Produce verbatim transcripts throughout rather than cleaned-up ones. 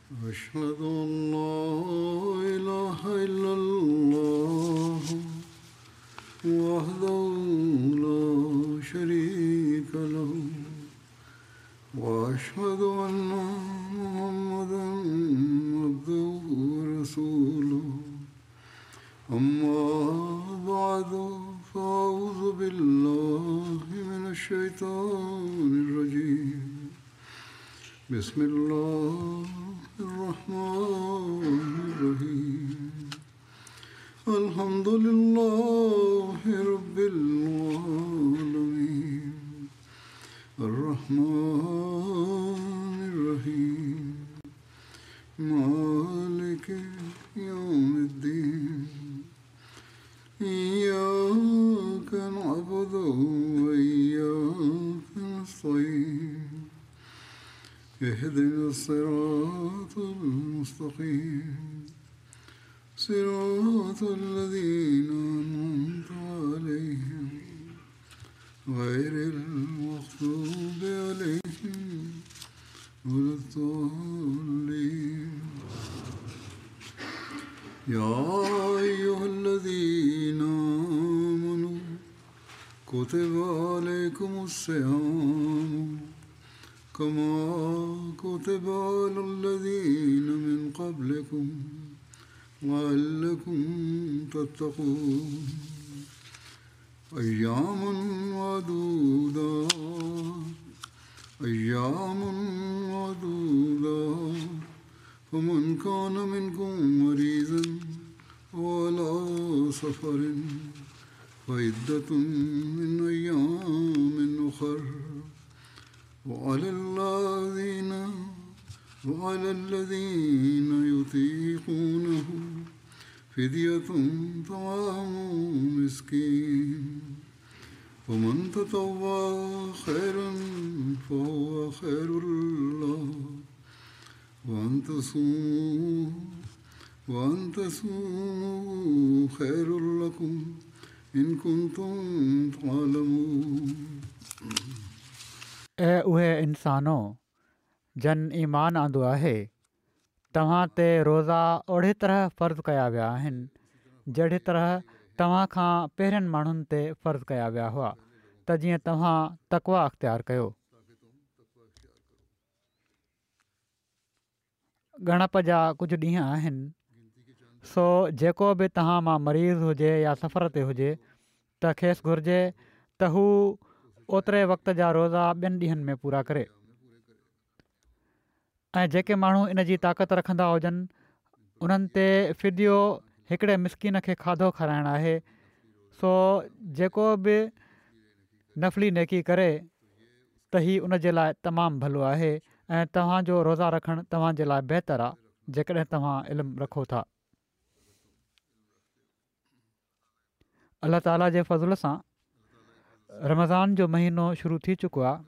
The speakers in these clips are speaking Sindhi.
أشهد أن لا إله إلا الله وحده لا شريك له وأشهد أن محمدا عبده ورسوله. أما بعد، فأعوذ بالله من الشيطان الرجيم. بسم الله الرحمن الرحيم. الحمد لله رب العالمين الرحمن الرحيم مالك يوم الدين. إياك نعبد وإياك نستعين. اهدنا الصراط المستقيم صراط الذين أنعمت عليهم غير المغضوب عليهم ولا الضالين. يا أيها الذين آمنوا كتب عليكم الصيام كما كتب على الذين من قبلكم لعلكم تتقون. أياما معدودات أياما معدودات فمن كان منكم مريضا أو على سفر فعدة من أيام أخر. وعلى الذين وعلى الذين يطيقونه فدية طعام مسكين. ومن تطوع خيرا فهو خير له. وأن تصوموا وأن تصوموا خير لكم إن كنتم تعلمون. اي اهي انسانو جن ايمان آندو آهي، توهان تي روزا اهڙي طرح فرض ڪيا ويا آهن جهڙي طرح توهان کان پهرين ماڻهن تي فرض ڪيا ويا هئا، ته جيئن توهان تقويٰ اختيار ڪيو. ڳڻپ جا ڪجهه ڏينهن آهن، سو جيڪو به توهان مان مريض هجي يا سفر تي هجي ته کيس گهرجي ته هو اوتري وقت جا روزا ٻين ڏينهن ۾ پورا ڪري. ۽ جيڪي ماڻهو ان جي طاقت رکندا هجن انهن تي فديو هڪڙي مسڪين کي کاڌو کارائڻ آهي. سو جيڪو به نفلي نيڪي ڪري ته هي ان جي لاءِ تمام ڀلو آهي، ۽ توهان جو روزا رکڻ توهان جي لاءِ بهتر آهي جيڪڏهن توهان علم رکو ٿا. الله تعاليٰ جي فضل سان رمضان جو مهينو شروع ٿي چڪو آهي.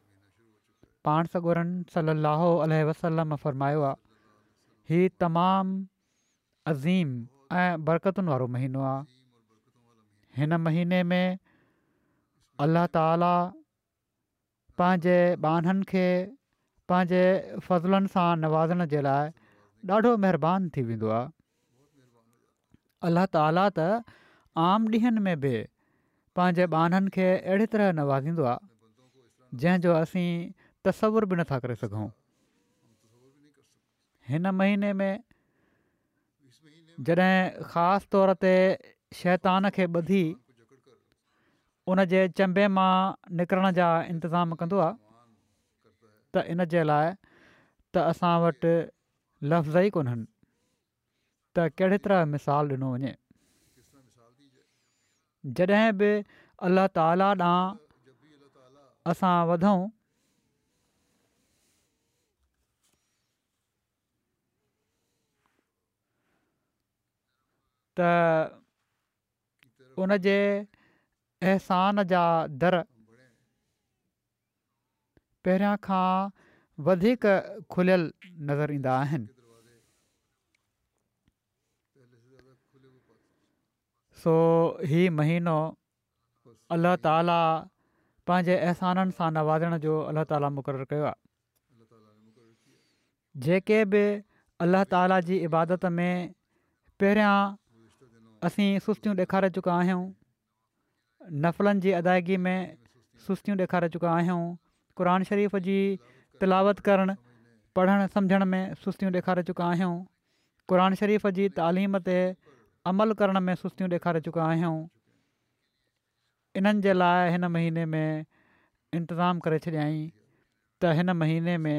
پاڻ سڳورن صلي الله عليه وسلم فرمايو آهي، هي تمام عظيم ۽ برڪتن وارو مهينو آهي. هن مهيني ۾ الله تعاليٰ پنهنجي ٻانهن کي پنهنجي فضلن سان نوازڻ جي لاءِ ڏاڍو مهربان ٿي ويندو آهي. الله تعاليٰ ته عام ڏينهن ۾ به پنهنجي ٻانهن کي اهڙي طرح نوازيندو آهي جنهن جو اسين تصور به نٿا ڪري سگهون. هن مهيني ۾ جڏهن خاص طور تي شيطان کي ٻڌي ان جي چنبي مان نڪرڻ جا انتظام ڪندو آهي ته ان جي لاءِ ته اسان وٽ لفظ ئي ڪونهن ته ڪهڙي طرح مثال ڏنو وڃي. جڏهن به الله تعاليٰ ڏانهن اسان وڌون ته ان جي احسان جا در پهريان کان وڌيڪ کليل نظر ايندا آهن. سو هي مهينو الله تعاليٰ پنهنجي احسانن سان نوازڻ جو الله تعاليٰ مقرر ڪيو آهي. جيڪي به الله تعاليٰ جي عبادت ۾ پهريان اسين سستيون ڏيکاري چڪا آهيون، نفلن جي ادائگي ۾ سستيون ڏيکاري چڪا آهيون، قرآن شريف جي تلاوت ڪرڻ، پڙهڻ سمجهڻ ۾ سستيون ڏيکاري چڪا آهيون، قرآن شريف جي تعليم تي عمل ڪرڻ ۾ سستيون ڏيکاري چڪا آهيون. انهن جي لاء هن مهيني ۾ انتظام ڪري ڇڏيائين ته هن مهيني ۾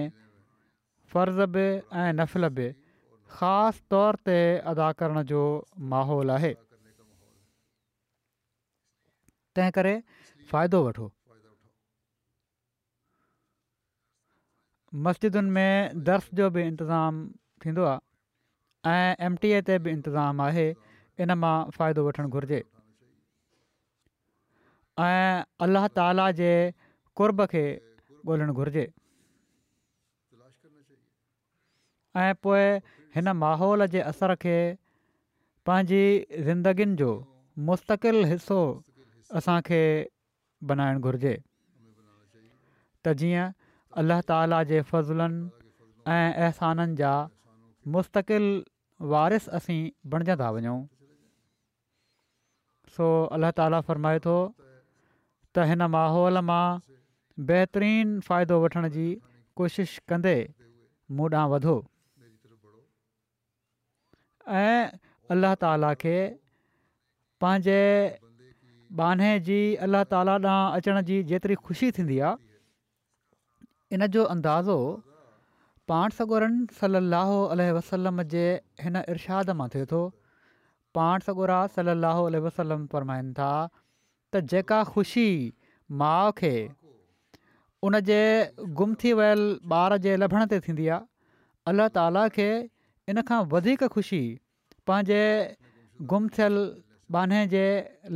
فرض به ۽ نفل به خاص طور تي ادا ڪرڻ جو ماحول آهي، تنهن ڪري فائدو وٺو. مسجدن ۾ درس جو به انتظام ٿيندو آهي ۽ ايم ٽي اي تي به انتظام آهي، ان مان فائدو وٺڻ گهرجي ۽ الله تعاليٰ جي قرب کي ڳولڻ گهرجي ۽ پوء هن ماحول جي اثر کي پنهنجي زندگين جو مستقل حصو اسان کي بنائڻ گهرجي ته جيئن الله تعاليٰ جي فضلن ۽ احسانن جا مستقل وارث اسين بڻجندا وڃون. سو الله تعاليٰ فرمائي ٿو ته هن ماحول مان بهترين فائدو وٺڻ جي ڪوشش ڪندي مون ڏانهن وڌو ۽ الله تعاليٰ کي پنهنجي ٻانهي جي الله تعاليٰ ڏانهن اچڻ جي جيتري خوشي ٿيندي آهي ان جو اندازو پاڻ سڳورن صلّي اللّٰه عليه وسلّم جي هن ارشاد مان ٿئي ٿو. پاڻ سڳورا صلّي اللّٰه عليه وسلّم فرمائن ٿا ته جيڪا خوشي ماء کي ان جي گم ٿي ويل ٻار جي لڀڻ تي ٿيندي آهي، الله تعاليٰ کي ان کان وڌيڪ خوشي پنهنجي گم ٿيل ٻانهي جي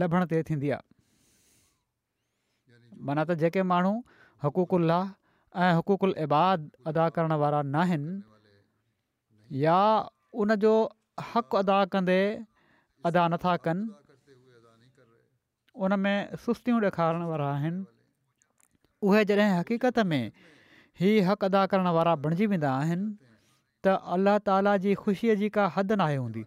لڀڻ تي ٿيندي آهي. معنيٰ ته جيڪي ماڻهو حقوق الله ۽ حقوق العباد ادا ڪرڻ وارا ناهن يا ان جو حق ادا ڪندي ادا نٿا ڪن، ان ۾ سستيون ڏيکارڻ وارا آهن، اهي جڏهن حقيقت ۾ هي حق ادا ڪرڻ وارا بڻجي ويندا آهن ته الله تعاليٰ جي خوشيء جي ڪا حد ناهي هوندي.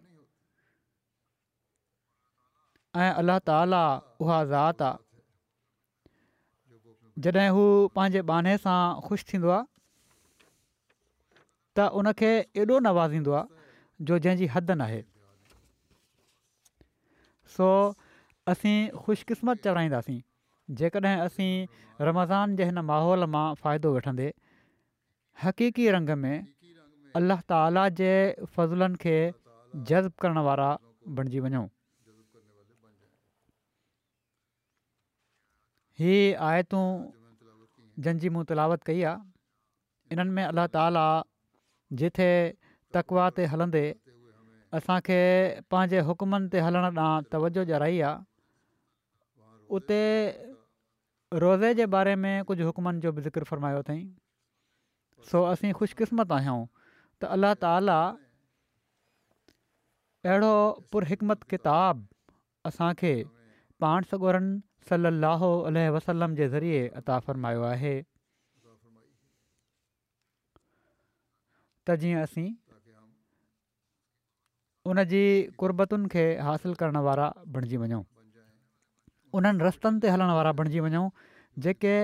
۽ الله تعاليٰ اها ذات آ جڏهن هو پنهنجي ٻانهي سان خوش ٿيندو آ ته ان کي ايڏو نوازيندو آ جو جنهن جي حد ناهي. سو اسين خوش قسمت چورائينداسين جيڪڏهن اسين رمضان جي هن ماحول مان فائدو وٺندي حقيقي رنگ ۾ الله تعالي جي فضلن کي جذب ڪرڻ وارا بڻجي وڃون. هي آيتون جن جي مون تلاوت ڪئي آهي انهن ۾ الله تعالي جتي تقويٰ تي هلندي اسان کي پنهنجي حڪمن تي هلڻ ڏانهن توجهه ڏيارائي آهي اتي روزي جي باري ۾ ڪجهه حڪمن جو به ذڪر فرمايو اٿئين. سو اسين خوش قسمت آهيون ته الله تعالي اهڙو پر حڪمت ڪتاب اسان کي پاڻ سڳورن صلي الله عليه وسلم جي ذريعي عطا فرمايو آهي ته جيئن اسين ان جي قربتن کي حاصل ڪرڻ وارا بڻجي وڃون، انهن رستن تي هلڻ وارا بڻجي وڃون جيڪي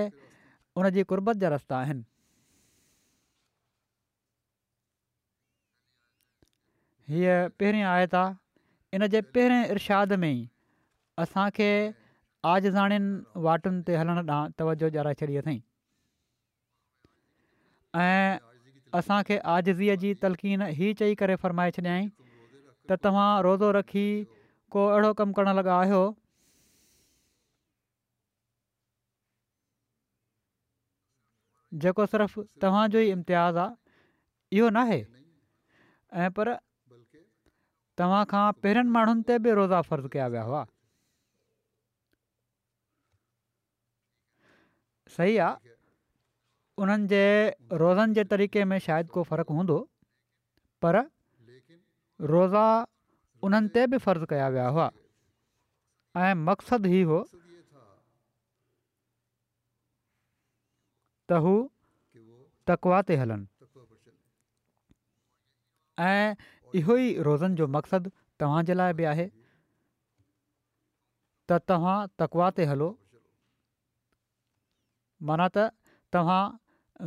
ان جي قربت جا رستا آهن. هيء پهرين آيت آ، ان جي پهرين ارشاد ۾ ئي اسان کي عاجزاڻين واٽن تي هلڻ ڏانهن توجهه ڏيارائي ڇڏي اٿئين. ۽ اسان کي عاجزيء جي تلقين هي چئي ڪري فرمائي ڇڏيائين ته توهان روزو رکي ڪو اهڙو ڪم ڪرڻ لڳا آهيو جيڪو صرف توهان جو ئي امتياز آهي اهو ناهي ۽ پر توهان کان پهرين ماڻهن تي به روزا فرض ڪيا ويا هئا. صحيح آ انهن جي روزن جي طريقي ۾ شايد ڪو فرق هوندو پر روزا انهن تي به فرض ڪيا ويا هئا ۽ مقصد هي هو ته هو تقوا تي هلن ۽ اهو ئي روزن جو مقصد توهان جي لاءِ به آهي ته توهان تقويٰ تي هلو، معنيٰ ته توهان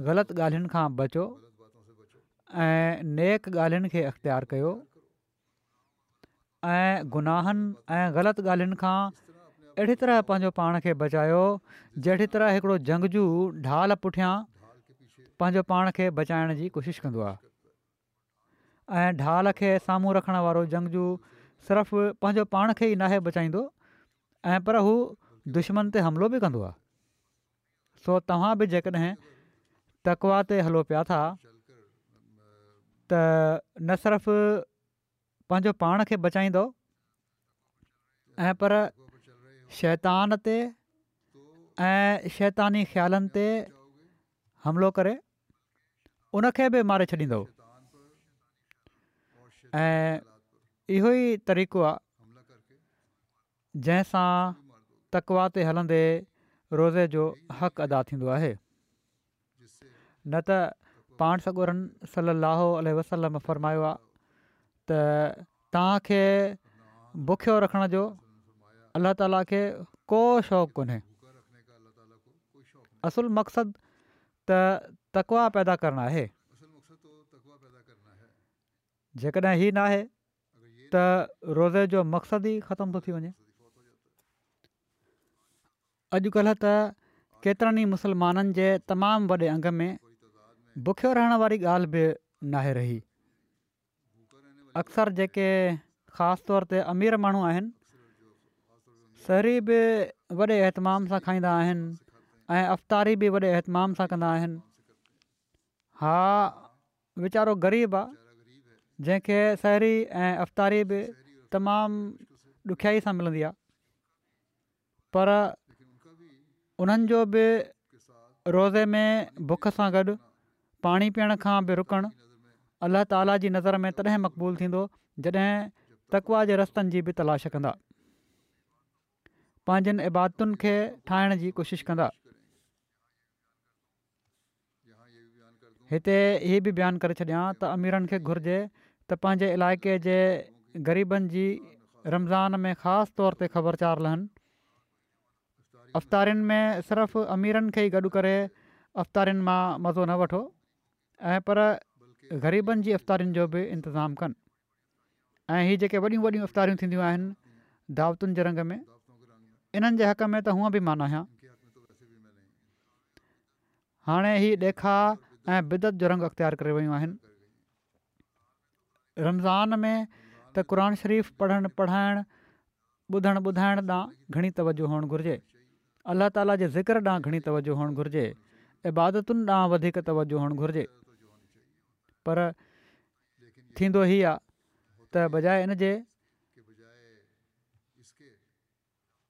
غلط ڳالهين کان بچو ۽ نيڪ ڳالهين کي اختيار ڪيو ۽ گناهن ۽ غلط ڳالهين کان اهڙي طرح پنهنجو پاڻ کي بچايو جهڙي طرح هڪڙو جنگجو ڍال پٺيان پنهنجو پاڻ کي بچائڻ جي ڪوشش ڪندو آهي ۽ ڍال کي سامهون رکڻ وارو جنگجو صرف پنهنجو پاڻ کي ئي ناهي بچائيندو ۽ پر هو دشمن تي حملو به ڪندو آهي. سو توهان به جيڪڏهن تقويٰ تي هلو پيا ٿا ته نه صرف پنهنجو پاڻ کي بچائيندو ۽ پر شيطان تي ۽ شيطاني خيالن تي حملو ڪري ان کي به ماري ڇڏيندو ۽ اهو ئي طريقو آهي جنهن سان تقويٰ تي هلندي روزي جو حق ادا ٿيندو آهي. نه ته پاڻ سڳورن صلي الله عليه وسلم فرمايو آهي ته توهان کي بکيو رکڻ جو الله تعاليٰ کي ڪو شوق ڪونهي. اصل مقصد ته تقويٰ پيدا ڪرڻ آهي. جيڪڏهن هي ناهي ته روزي جو مقصد ئي ختم ٿو ٿي وڃي. اڄڪلهه ته ڪيترن ئي مسلمانن جي تمام وڏي انگ ۾ بکيو رهڻ واري ڳالهه به ناهي رهي. اڪثر جيڪي خاص طور تي امير ماڻهو آهن سحري به وڏي اهتمام سان کائيندا آهن ۽ افطاري به وڏي اهتمام سان ڪندا آهن. ها ويچارو غريب آ جنهن کي سحري ۽ افطاري به تمام ڏکيائي سان ملندي آ پر انهن جو به روزي ۾ بک سان گڏ پاڻي پيئڻ کان به رڪڻ الله تعاليٰ جي نظر ۾ تڏهن مقبول ٿيندو جڏهن تقويٰ جي رستن جي به تلاش ڪندا، پنهنجين عبادتن کي ٺاهڻ جي ڪوشش ڪندا. هتي هي به بيان ڪري ڇڏيان ته اميرن کي گهرجي ته پنهنجي علائقي جي غريبن جي رمضان ۾ خاص طور تي خبرچار لهن. افطارين ۾ صرف اميرن کي ئي گڏ ڪري افطارين مان مزو نه وٺو ۽ پر غريبن جي افطارين جو به انتظام ڪن ۽ هي جيڪي وڏيون وڏيون افطاريون ٿينديون آهن دعوتن جي رنگ ۾ انهن جي حق ۾ ته هونء به مان ناهيان. هاڻي هي ڏيکاء ۽ بدعت جو رنگ اختيار ڪري ويون آهن. رمضان ۾ ته قرآن شريف پڙهڻ پڙهائڻ ٻڌڻ ٻڌائڻ ڏانهن گهڻي توجه هئڻ گهرجي. الله تعالي جي ذڪر ڏانهن گهڻي توجه هئڻ گهرجي. عبادتن ڏانهن وڌيڪ توجه هئڻ گهرجي. پر ٿيندو هي آ ته بجاء ان جي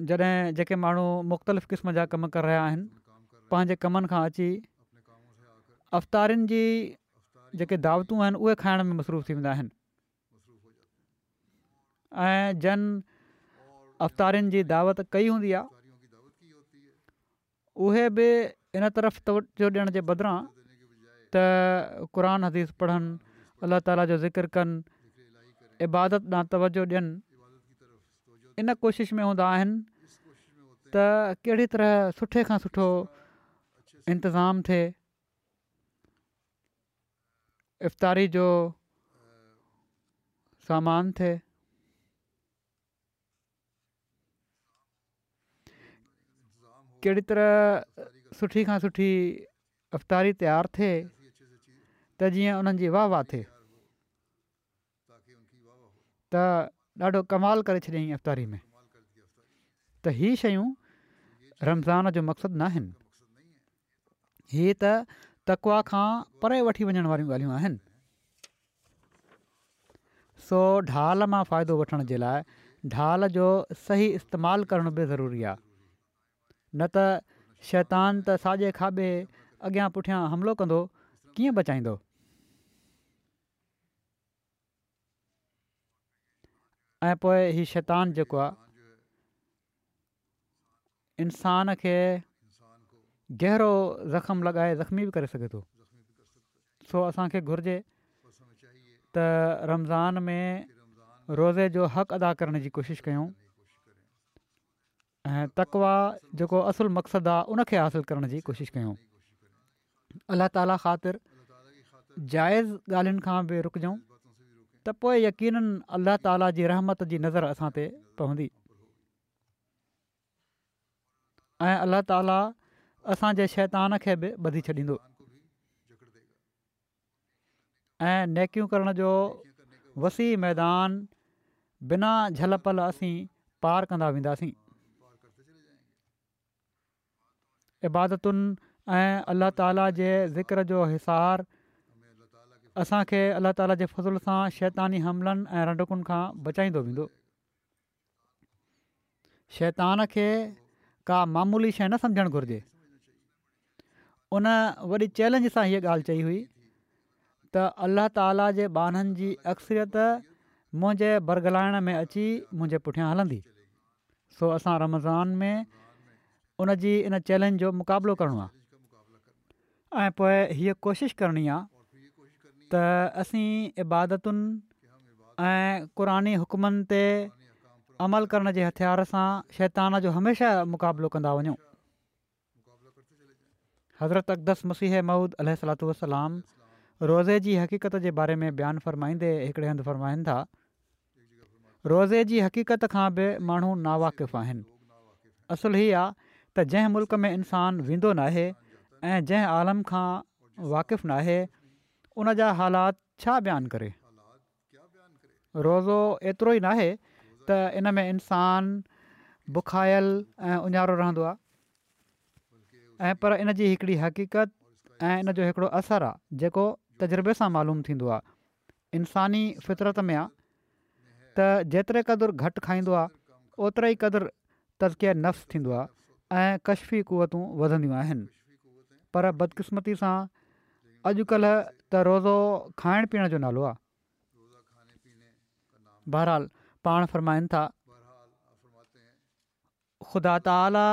جڏهن جيڪي ماڻهو مختلف قسم جا ڪم ڪري رهيا آهن پنهنجي ڪمن کان اچي افطارين جي جيڪي دعوتون آهن اهي کائڻ ۾ مصروف ٿي ويندا آهن ۽ جن افطارين جي دعوت ڪئي هوندي آهي اهي به ان طرف توجه ڏيڻ جي بدران ته قرآن حديث پڙهن، الله تعالي جو ذڪر ڪن، عبادت ڏانهن توجه ڏين، ان ڪوشش ۾ هوندا آهن ته ڪهڙي طرح سٺي کان سٺو انتظام ٿئي، افطاري جو سامان ٿئي. ڪهڙي طرح سٺي کان سٺي افطاري تيار ٿئي ته جيئن انهن جي واهه واهه ٿئي ته ڏاڍو ڪمال ڪري ڇڏيائين افطاري ۾ ته هي شيون رمضان جو مقصد ناهن هي ته تقويٰ کان پري وٺي وڃڻ واريون ڳالهيون آهن. سو ڍال مان فائدو وٺڻ جي لاء ڍال جو صحيح استعمال ڪرڻ به ضروري آهي نه ته شيطان ته ساڄي کاٻي اڳيان پٺيان حملو ڪندو ڪيئن بچائيندو. ۽ پوء هي شيطان جيڪو آهي انسان کي گهرو زخم لڳائي زخمي به ڪري سگهي ٿو. سو اسان کي گهرجي ته رمضان ۾ روزي جو حق ادا ڪرڻ جي ڪوشش ڪيون ۽ تقويٰ جيڪو اصل مقصد آهي ان کي حاصل ڪرڻ جي ڪوشش ڪيون. الله تعاليٰ خاطر جائز ڳالهين کان به رڪجون ته پوء يقينن الله تعاليٰ جي رحمت جي نظر اسان تي پوندي ۽ الله تعاليٰ اسان جي شيطان کي به ٻڌي ڇڏيندو ۽ نيڪيون ڪرڻ جو وسيع ميدان بنا جهل پل اسين پار ڪندا وينداسين. عبادتن ۽ الله تعاليٰ جي ذڪر جو حصار اسان کي الله تعاليٰ جي فضل سان شيطاني حملن ۽ رنڊڪن کان بچائيندو ويندو. شيطان کي ڪا معمولي شيء نه سمجهڻ گهرجي. ان وڏي چئلينج سان هيء ڳالهه چئي هئي ته الله تعاليٰ جي ٻانهن جي اڪثريت منهنجي برغلائڻ ۾ اچي منهنجي پٺيان هلندي. سو اسان رمضان ۾ ان جي ان چئلينج جو مقابلو ڪرڻو آهي ۽ پوء هيء ڪوشش ڪرڻي آهي ته اسين عبادتن ۽ قرآني حڪمن تي عمل ڪرڻ جي هٿيار سان شيطان جو هميشه مقابلو ڪندا وڃون. حضرت اقدس مسيح موعود عليه الصلوة والسلام روزي جي حقيقت جي باري ۾ بيان فرمائيندي هڪڙي هنڌ فرمائن ٿا، روزي جي حقيقت کان به ماڻهو ناواقف آهن. اصل هي آ ته جنهن ملڪ ۾ انسان ويندو ناهي ۽ جنهن عالم کان واقف ناهي ان جا حالات ڇا بيان ڪري؟ روزو ايترو ئي ناهي ته ان ۾ انسان بکايل ۽ اڃارو رهندو آ ۽ پر ان جي هڪڙي حقيقت ۽ ان جو هڪڙو اثر آ جيڪو تجربي سان معلوم ٿيندو آ انساني فطرت ۾ آ ته جيتري قدر گهٽ کائيندو آ اوتري ئي قدر تزڪيه نفس ٿيندو آ ۽ ڪشفي قوتون وڌنديون آهن پر بدقسمتي سان اڄڪلهه ته روزو کائڻ پيئڻ جو نالو آ. بهرحال پاڻ فرمائن ٿا، خدا تعاليٰ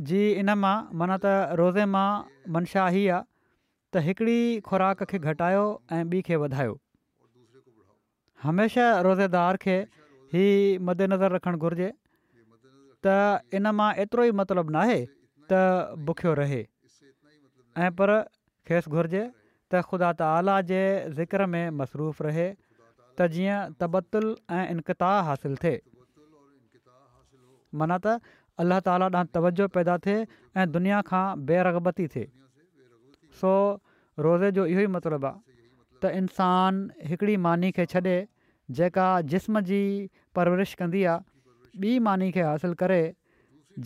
جي ان مان معنيٰ ته روزي مان منشا هي آ ته هڪڙي خوراڪ کي گهٽايو ۽ ٻي کي وڌايو. هميشه روزيدار کي هي مدنظر رکڻ گهرجي ته ان مان ايترو ئي مطلب ناهي ته بکيو رهي ۽ پر کيس گهرجي ته خدا تعاليٰ جي ذڪر ۾ مصروف رهي ته جيئن تبتل ۽ انقطاع حاصل ٿئي. معنيٰ ته الله تعاليٰ ڏانهن توجه پيدا ٿئي ۽ دنيا کان بي رغبتي ٿئي. سو روزي جو اهو ئي مطلب آهي ته انسان هڪڙي ماني کي ڇڏي جيڪا جسم جي پرورش ڪندي آهي، ٻي ماني کي حاصل ڪري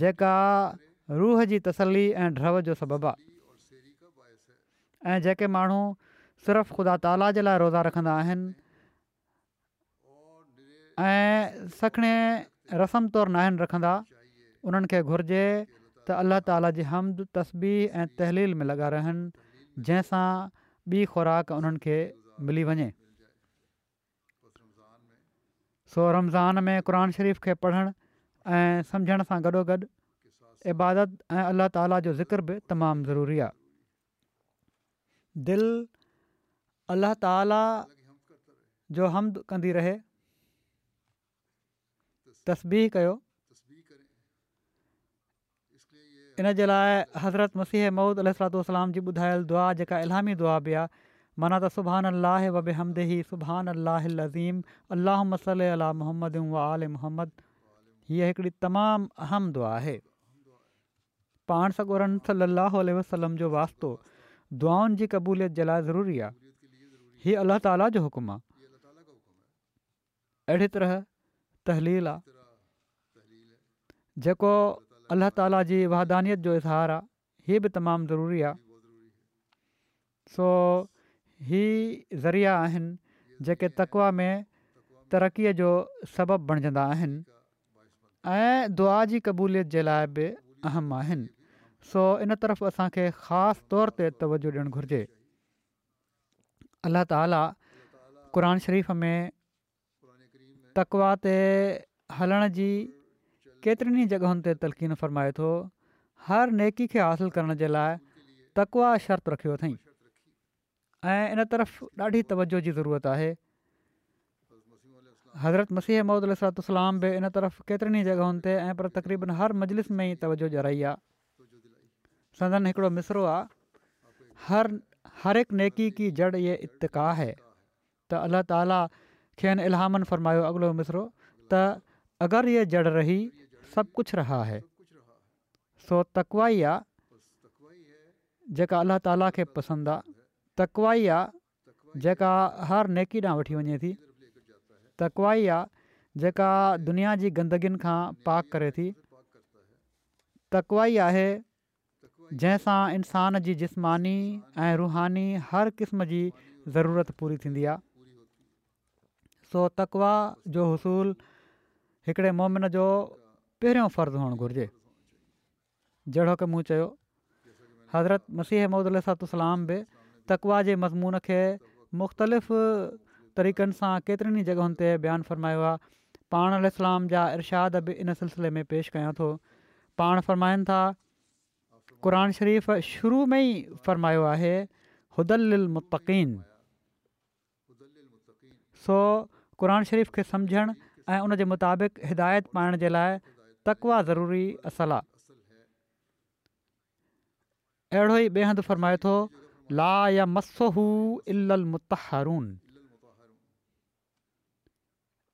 جيڪا روح جي تسلي ۽ ڍؤ جو سبب آهي. ۽ جيڪي ماڻهو صرف خدا تعاليٰ جي لاء روزا رکندا آهن ۽ سکڻي رسم طور ناهن رکندا انهن کي گهرجي ته الله تعاليٰ جي حمد، تسبيح ۽ تهليل ۾ لڳا رهن جنهن سان ٻي خوراڪ انهن کي ملي وڃي. سو رمضان ۾ قرآن شريف کي پڙهڻ ۽ سمجهڻ سان گڏوگڏ عبادت ۽ الله تعاليٰ جو ذڪر به تمام ضروري آهي. دل الله تعالي جو حمد ڪندي رهي، تسبيح ڪيو، ان جي لاء حضرت مسيح موعود عليه الصلوة والسلام جي ٻڌايل دعا جيڪا الهامي دعا به آهي معنيٰ ته سبحان الله وبحمده سبحان الله العظيم اللهم صل علي محمد وآل محمد هيء هڪڙي تمام اهم دعا آهي. پاڻ سڳورن صلّي اللّٰه عليه وسلّم جو واسطو دعائن جي قبوليت جي لاء ضروري آهي. هي الله تعاليٰ جو حڪم آهي. اهڙي طرح تهليل آهي جيڪو الله تعاليٰ جي وحدانيت جو اظهار آهي هي به تمام ضروري آهي. سو هي ذريعا آهن جيڪي تقويٰ ۾ ترقيء جو سبب بڻجندا آهن ۽ دعا جي قبوليت جي لاء به اهم آهن سو ان طرف اسان کي خاص طور تي توجه ڏيڻ گهرجي. الله تعالي قرآن شريف ۾ تقويٰ تي هلڻ جي ڪيترين ئي جڳهن تي تلقين فرمائي ٿو، هر نيڪي کي حاصل ڪرڻ جي لاء تقويٰ شرط رکيو اٿئين ۽ ان طرف ڏاڍي توجه جي ضرورت آهي. حضرت مسيح موعود عليه الصلوة والسلام به ان طرف ڪيترين ئي جڳهن تي ۽ پر تقريبن هر مجلس ۾ ئي توجه ڏيارائي آ. سندن هڪڙو مصرعو آ، هر هر اڪ نيڪي ڪي جڙ يه اتقا هي ته الله تعالي کين الهاماً فرمايو اڳلو مصرعو ته اگر يه جڙ رهي سب ڪڇ رها هي سو تقويٰ ئي آ جيڪا الله تعالي کي پسند آ، تقويٰ ئي آ جيڪا هر نيڪي ڏانهن وٺي وڃي ٿي، تقويٰ ئي آ جيڪا دنيا جي گندگين کان پاڪ ڪري ٿي، تقويٰ ئي آهي جنهن سان انسان جي جسماني ۽ روحاني هر قسم جي ضرورت پوري ٿيندي آ. سو تقويٰ جو حصول هڪڙي مؤمن جو پهريون فرض هئڻ گهرجي. جهڙوڪ مون چيو، حضرت مسيح موعود عليه الصلوة والسلام به تقويٰ جي مضمون کي مختلف طريقن سان ڪيترين ئي جڳهن تي بيان فرمايو آهي. پاڻ عليه السلام جا ارشاد به ان سلسلي ۾ پيش ڪيان ٿو. پاڻ فرمائن ٿا، قرآن شريف شروع ۾ ئي فرمايو آهي، هدي للمتقين. سو قرآن شريف کي سمجهڻ ۽ ان جي مطابق هدايت پائڻ جي لاء تقويٰ ضروري اصل آ. اهڙو ئي ٻئي هنڌ فرمائي ٿو لا يمسه الا المطهرون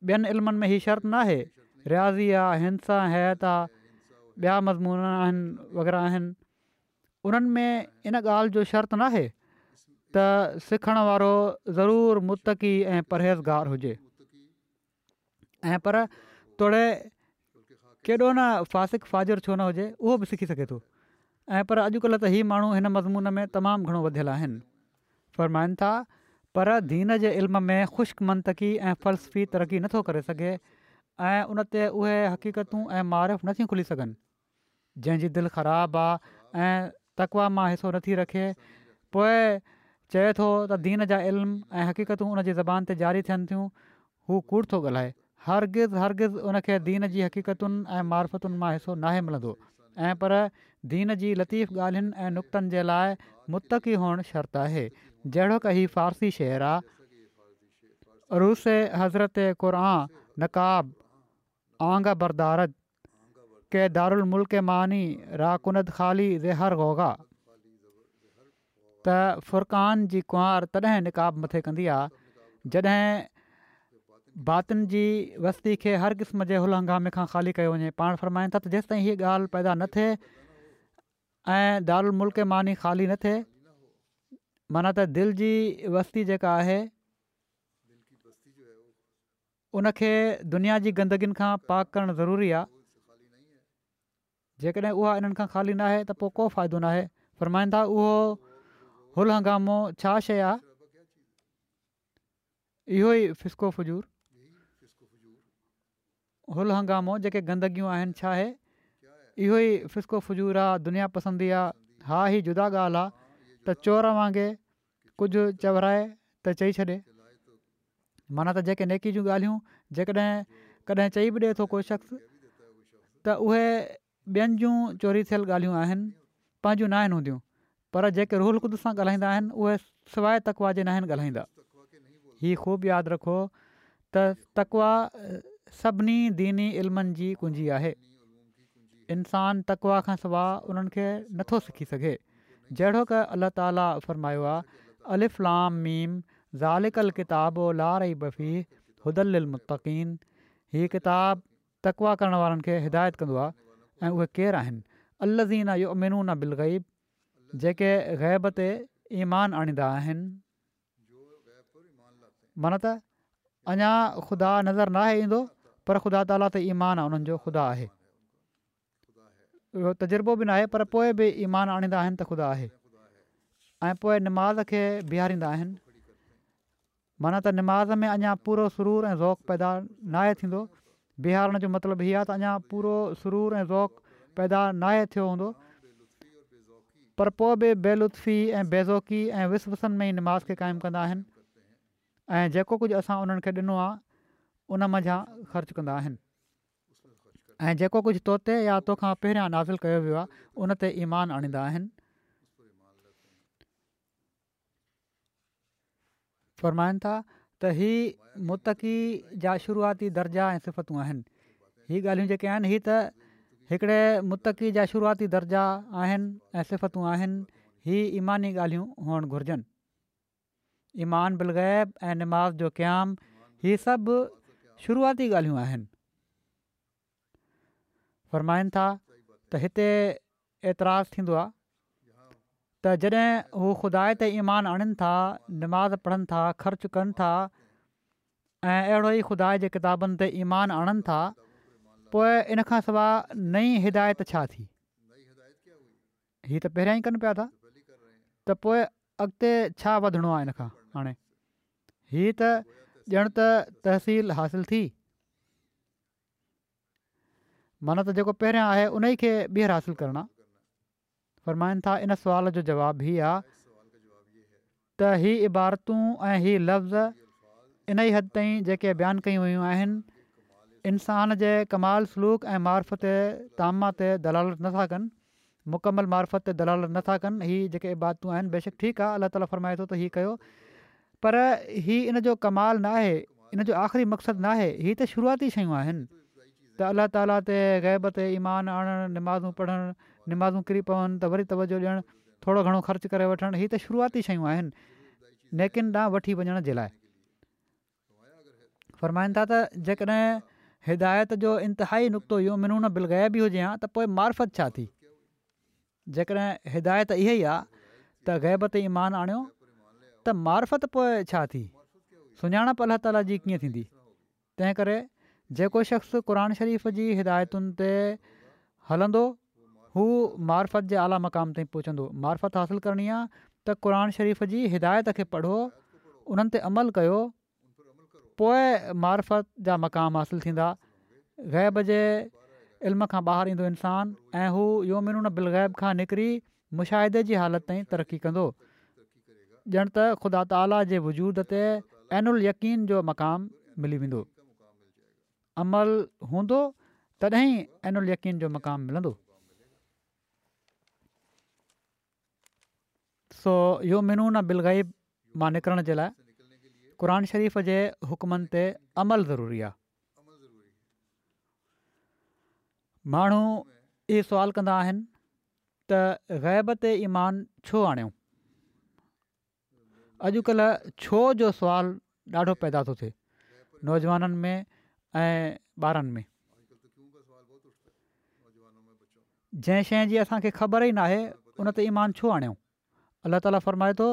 ٻين علمن ۾ هي شرط ناهي، رياضي آ، هندسه ۽ هيئت آ، ٻيا مضمون آهن وغيره آهن. انهن ۾ ان ڳالهه جو شرط ناهي ته سکڻ وارو ضرور متقي ۽ پرهيزگار هجي ۽ پر توڙي ڪيڏو نه فاسق فاجر ڇو نه هجي اهو به سکي سگهي ٿو ۽ پر اڄڪلهه ته هي ماڻهو هن مضمون ۾ تمام گهڻو وڌيل آهن. فرمائن ٿا پر دين جي علم ۾ خشڪ منطقي ۽ فلسفي ترقي نٿو ڪري سگهي ۽ ان تي اهي حقيقتون ۽ معارف نٿيون کلي سگهن جنهن جي دل خراب آ ۽ تقويٰ مان حصو نٿي رکي پوء چئي ٿو ته دين جا علم ۽ حقيقتون ان جي زبان تي جاري ٿين ٿيون هو ڪوڙ ٿو ڳالهائي هرگز هرگز ان کي دين جي حقيقتن ۽ معرفتن مان حصو ناهي ملندو ۽ پر دين جي لطيف ڳالهين ۽ نڪتن جي لاء متقي هئڻ شرط آهي جهڙوڪ هي فارسي شعر آ عروس حضرت قرآن نقاب آنگه بردارد ڪه دارالملڪ معاني را ڪند خالي ز هر غوغا ته فرقان جي ڪنوار تڏهن نقاب مٿي ڪندي آ جڏهن باطن جي وستي کي هر قسم جي هل هنگامي کان خالي ڪيو وڃي پاڻ فرمائن ٿا ته جيستائين هيء ڳالهه پيدا نه ٿئي ۽ دارالملڪ معاني خالي نه ٿئي معنيٰ ته دل جي وستي جيڪا آهي ان کي دنيا جي گندگين کان پاڪ ڪرڻ ضروري آهي، جيڪڏهن اها انهن کان خالي ناهي ته پوء ڪو فائدو ناهي، فرمائن ٿا اهو هل هنگامو ڇا شيء آهي؟ اهو ئي فسق و فجور، هل هنگامو جيڪي گندگيون آهن ڇا آهي؟ اهو ئي فسق و فجور آ، دنيا پسندي آ، ها هي جدا ڳالهه آ ته چور وانگي ڪجهه چورائي ته چئي ڇڏي. معنيٰ ته جيڪي نيڪي جون ڳالهيون جيڪڏهن ڪڏهن چئي به ڏئي ٿو ڪو شخص ته اهي ٻين جون چوري ٿيل ڳالهيون آهن پنهنجون ناهن هونديون پر جيڪي روح القدس سان ڳالهائيندا آهن اهي سواء تقويٰ جي ناهن ڳالهائيندا. هي خوب ياد رکو ته تقويٰ سڀني ديني علمن جي ڪنجي آهي. انسان تقويٰ کان سواء انهن کي نٿو سکي سگهي. جهڙوڪ الله تعاليٰ فرمايو آهي، الف لام ميم ذلڪ الڪتاب لا ريب فيه هدي للمتقين هي ڪتاب تقويٰ ڪرڻ وارن کي هدايت ڪندو آهي ۽ اهي ڪير آهن؟ الذين يؤمنون بالغيب جيڪي غيب تي ايمان آڻيندا آهن. معنيٰ ته اڃا خدا نظر ناهي ايندو پر خدا تعاليٰ تي ايمان آهي انهن جو خدا آهي. اهو تجربو به ناهي پر پوء به ايمان آڻيندا آهن ته خدا آهي ۽ پوء نماز کي بيهاريندا آهن معنيٰ ته نماز ۾ اڃا پورو سرور ۽ ذوق پيدا ناهي ٿيندو بيهارڻ جو مطلب هي آهي ته اڃا پورو سرور ۽ ذوق پيدا ناهي ٿيو هوندو پر پوء به بي لطفي ۽ بي ذوقي ۽ وسوسن ۾ ئي نماز کي قائم ڪندا آهن ۽ جيڪو ڪجهه اسان انهن کي ڏنو آهي ان منجهان خرچ ڪندا آهن ۽ جيڪو ڪجهه تو تي يا تو کان پهريان نازل ڪيو ويو آهي ان تي ايمان آڻيندا آهن. فرمائن ٿا ته هي متقي جا شروعاتي درجا ۽ صفتون آهن. هي ڳالهيون جيڪي آهن هي ته هڪڙي متقي جا شروعاتي درجا آهن ۽ صفتون آهن. هي ايماني ڳالهيون هئڻ گهرجن. ايمان بالغيب ۽ نماز جو قيام هي سڀ شروعاتي ڳالهيون آهن. فرمائن ٿا ته هتي اعتراض ٿيندو آهي ته جڏهن هو خدا تي ايمان آڻين ٿا، نماز پڙهن ٿا، خرچ ڪن ٿا ۽ اهڙو ئي خدا جي ڪتابن تي ايمان آڻن ٿا، پوء ان کان سواء نئين هدايت ڇا ٿي؟ هي ته پهريان ئي ڪن پيا ٿا ته پوء اڳتي ڇا وڌڻو آهي ان کان هاڻي هي ته ڄڻ ته تحصيل حاصل ٿي، معنيٰ ته جيڪو پهريان آهي ان ئي کي ٻيهر حاصل ڪرڻ آهي. فرمائن ٿا ان سوال جو جواب هي آ ته هي عبارتون ۽ هي لفظ انهي حد تائين جيڪي بيان ڪيون ويون آهن انسان جي ڪمال سلوڪ ۽ معرفت تامه تي دلالت نٿا ڪن، مڪمل معرفت تي دلالت نٿا ڪن، هي جيڪي عبادتون آهن بيشڪ ٺيڪ آ الله تعالي فرمائي ٿو ته هي ڪيو پر هي ان جو ڪمال نه آهي ان جو آخري مقصد نه آهي هي ته شروعاتي شيون آهن ته الله تعالي تي غيب تي ايمان آڻڻ، نمازون پڙهڻ، نمازون ڪري پون ته وري توجهه ڏيڻ، ٿورو گهڻو خرچ ڪري وٺڻ هي ته شروعاتي شيون آهن نيڪين ڏانهن وٺي وڃڻ جي لاء. فرمائن ٿا ته جيڪڏهن هدايت جو انتهائي نقطو يؤمنون بالغيب ئي هجي ها ته پوء معرفت ڇا ٿي؟ جيڪڏهن هدايت اها ئي آ ته غيب تي ايمان آڻيو ته معرفت پوء ڇا ٿي؟ سڃاڻپ الله تعالي جي ڪيئن ٿيندي؟ تنهن ڪري جيڪو شخص قرآن شريف جي هدايتن تي هلندو هو معرفت جي اعليٰ مقام تائين پهچندو. معرفت حاصل ڪرڻي آ ته قرآن شريف جي هدايت کي پڙهو، انهن تي عمل ڪيو، پوء معرفت جا مقام حاصل ٿيندا. غيب جي علم کان ٻاهر ايندو انسان ۽ هو يؤمنون بالغيب کان نڪري مشاهدي جي حالت تائين ترقي ڪندو. ڄڻ ته خدا تعاليٰ جي وجود تي عين اليقين جو مقام ملي ويندو. عمل هوندو تڏهن ئي عين اليقين جو مقام ملندو. سو يؤمنون بالغيب مان نڪرڻ جي لاء قرآن شريف جي حڪمن تي عمل ضروري آهي. ماڻهو اهي سوال ڪندا آهن ته غيب تي ايمان ڇو آڻيو؟ اڄڪلهه ڇو جو سوال ڏاڍو پيدا ٿو ٿئي نوجوانن ۾ ۽ ٻارن ۾. جنهن شيء جي اسان کي خبر ئي ناهي ان تي ايمان ڇو آڻيو؟ الله تعاليٰ فرمائي ٿو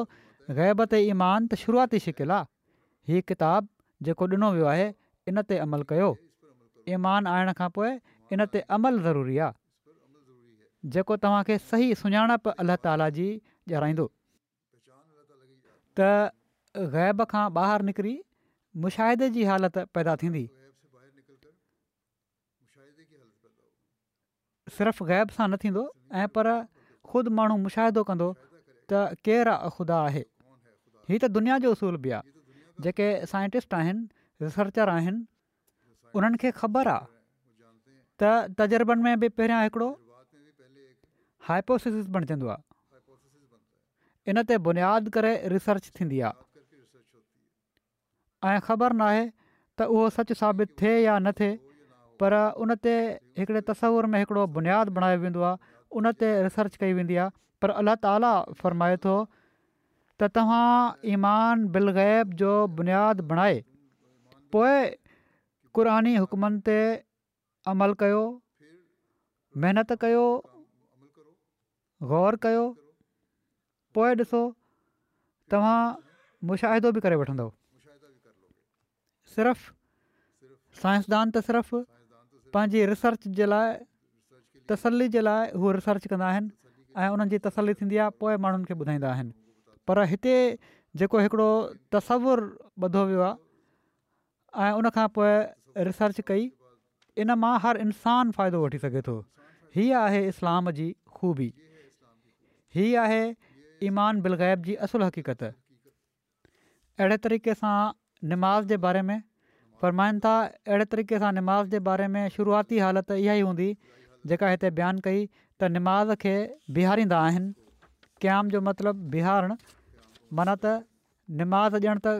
غيب تي ايمان ته شروعاتي شڪل آ، هي ڪتاب جيڪو ڏنو ويو آهي ان تي عمل ڪيو، ايمان آڻڻ کان پوء ان تي عمل ضروري آ. جيڪو توهان کي صحيح سڃاڻپ الله تعالي جي ڏيارائيندو. ته غيب کان ٻاهر نڪري مشاهدي جي حالت پيدا ٿيندي. صرف غيب سان نه ٿيندو ۽ پر خود ماڻهو مشاهدو ڪندو ته ڪير خدا آهي. هي ته دنيا جو اصول به آهي. جيڪي سائنٽسٽ آهن، ريسرچر آهن، انهن کي خبر آ ته تجربن ۾ به پهريان هڪڙو هائپوٿيسس بڻجندو آ ان تي بنياد ڪري ريسرچ ٿيندي آ ۽ خبر ناهي ته اهو سچ ثابت ٿئي يا نه ٿئي پر ان تي هڪڙي تصور ۾ هڪڙو بنياد بڻايو ويندو آ ان تي ريسرچ ڪئي ويندي آ پر الله تعالي فرمائي ٿو ته توهان ايمان بالغيب جو بنياد بڻائي پوء قرآني حڪمن تي عمل ڪيو، محنت ڪيو، غور ڪيو، پوء ڏسو توهان مشاهدو به ڪري وٺندؤ. صرف سائنسدان ته صرف پنهنجي ريسرچ جي لاء تسلي جي لاء هو ريسرچ ڪندا آهن ۽ انهن جي تسلي ٿيندي آهي پوء ماڻهن کي ٻڌائيندا آهن پر هتي جيڪو هڪڙو تصور ٻڌو ويو آهي ۽ ان کان پوء ريسرچ ڪئي ان مان هر انسان فائدو وٺي سگهي ٿو هي آهي اسلام جي خوبي هي آهي ايمان بالغيب جي اصل حقيقت. اهڙي طريقي سان نماز جي باري ۾ فرمائن ٿا اهڙي طريقي سان نماز جي باري ۾ شروعاتي حالت اها ئي هوندي جيڪا هتي بيان ڪئي ته نماز کي بيهاريندا آهن قيام جو مطلب بيهارڻ معنيٰ ته نماز ڄڻ ته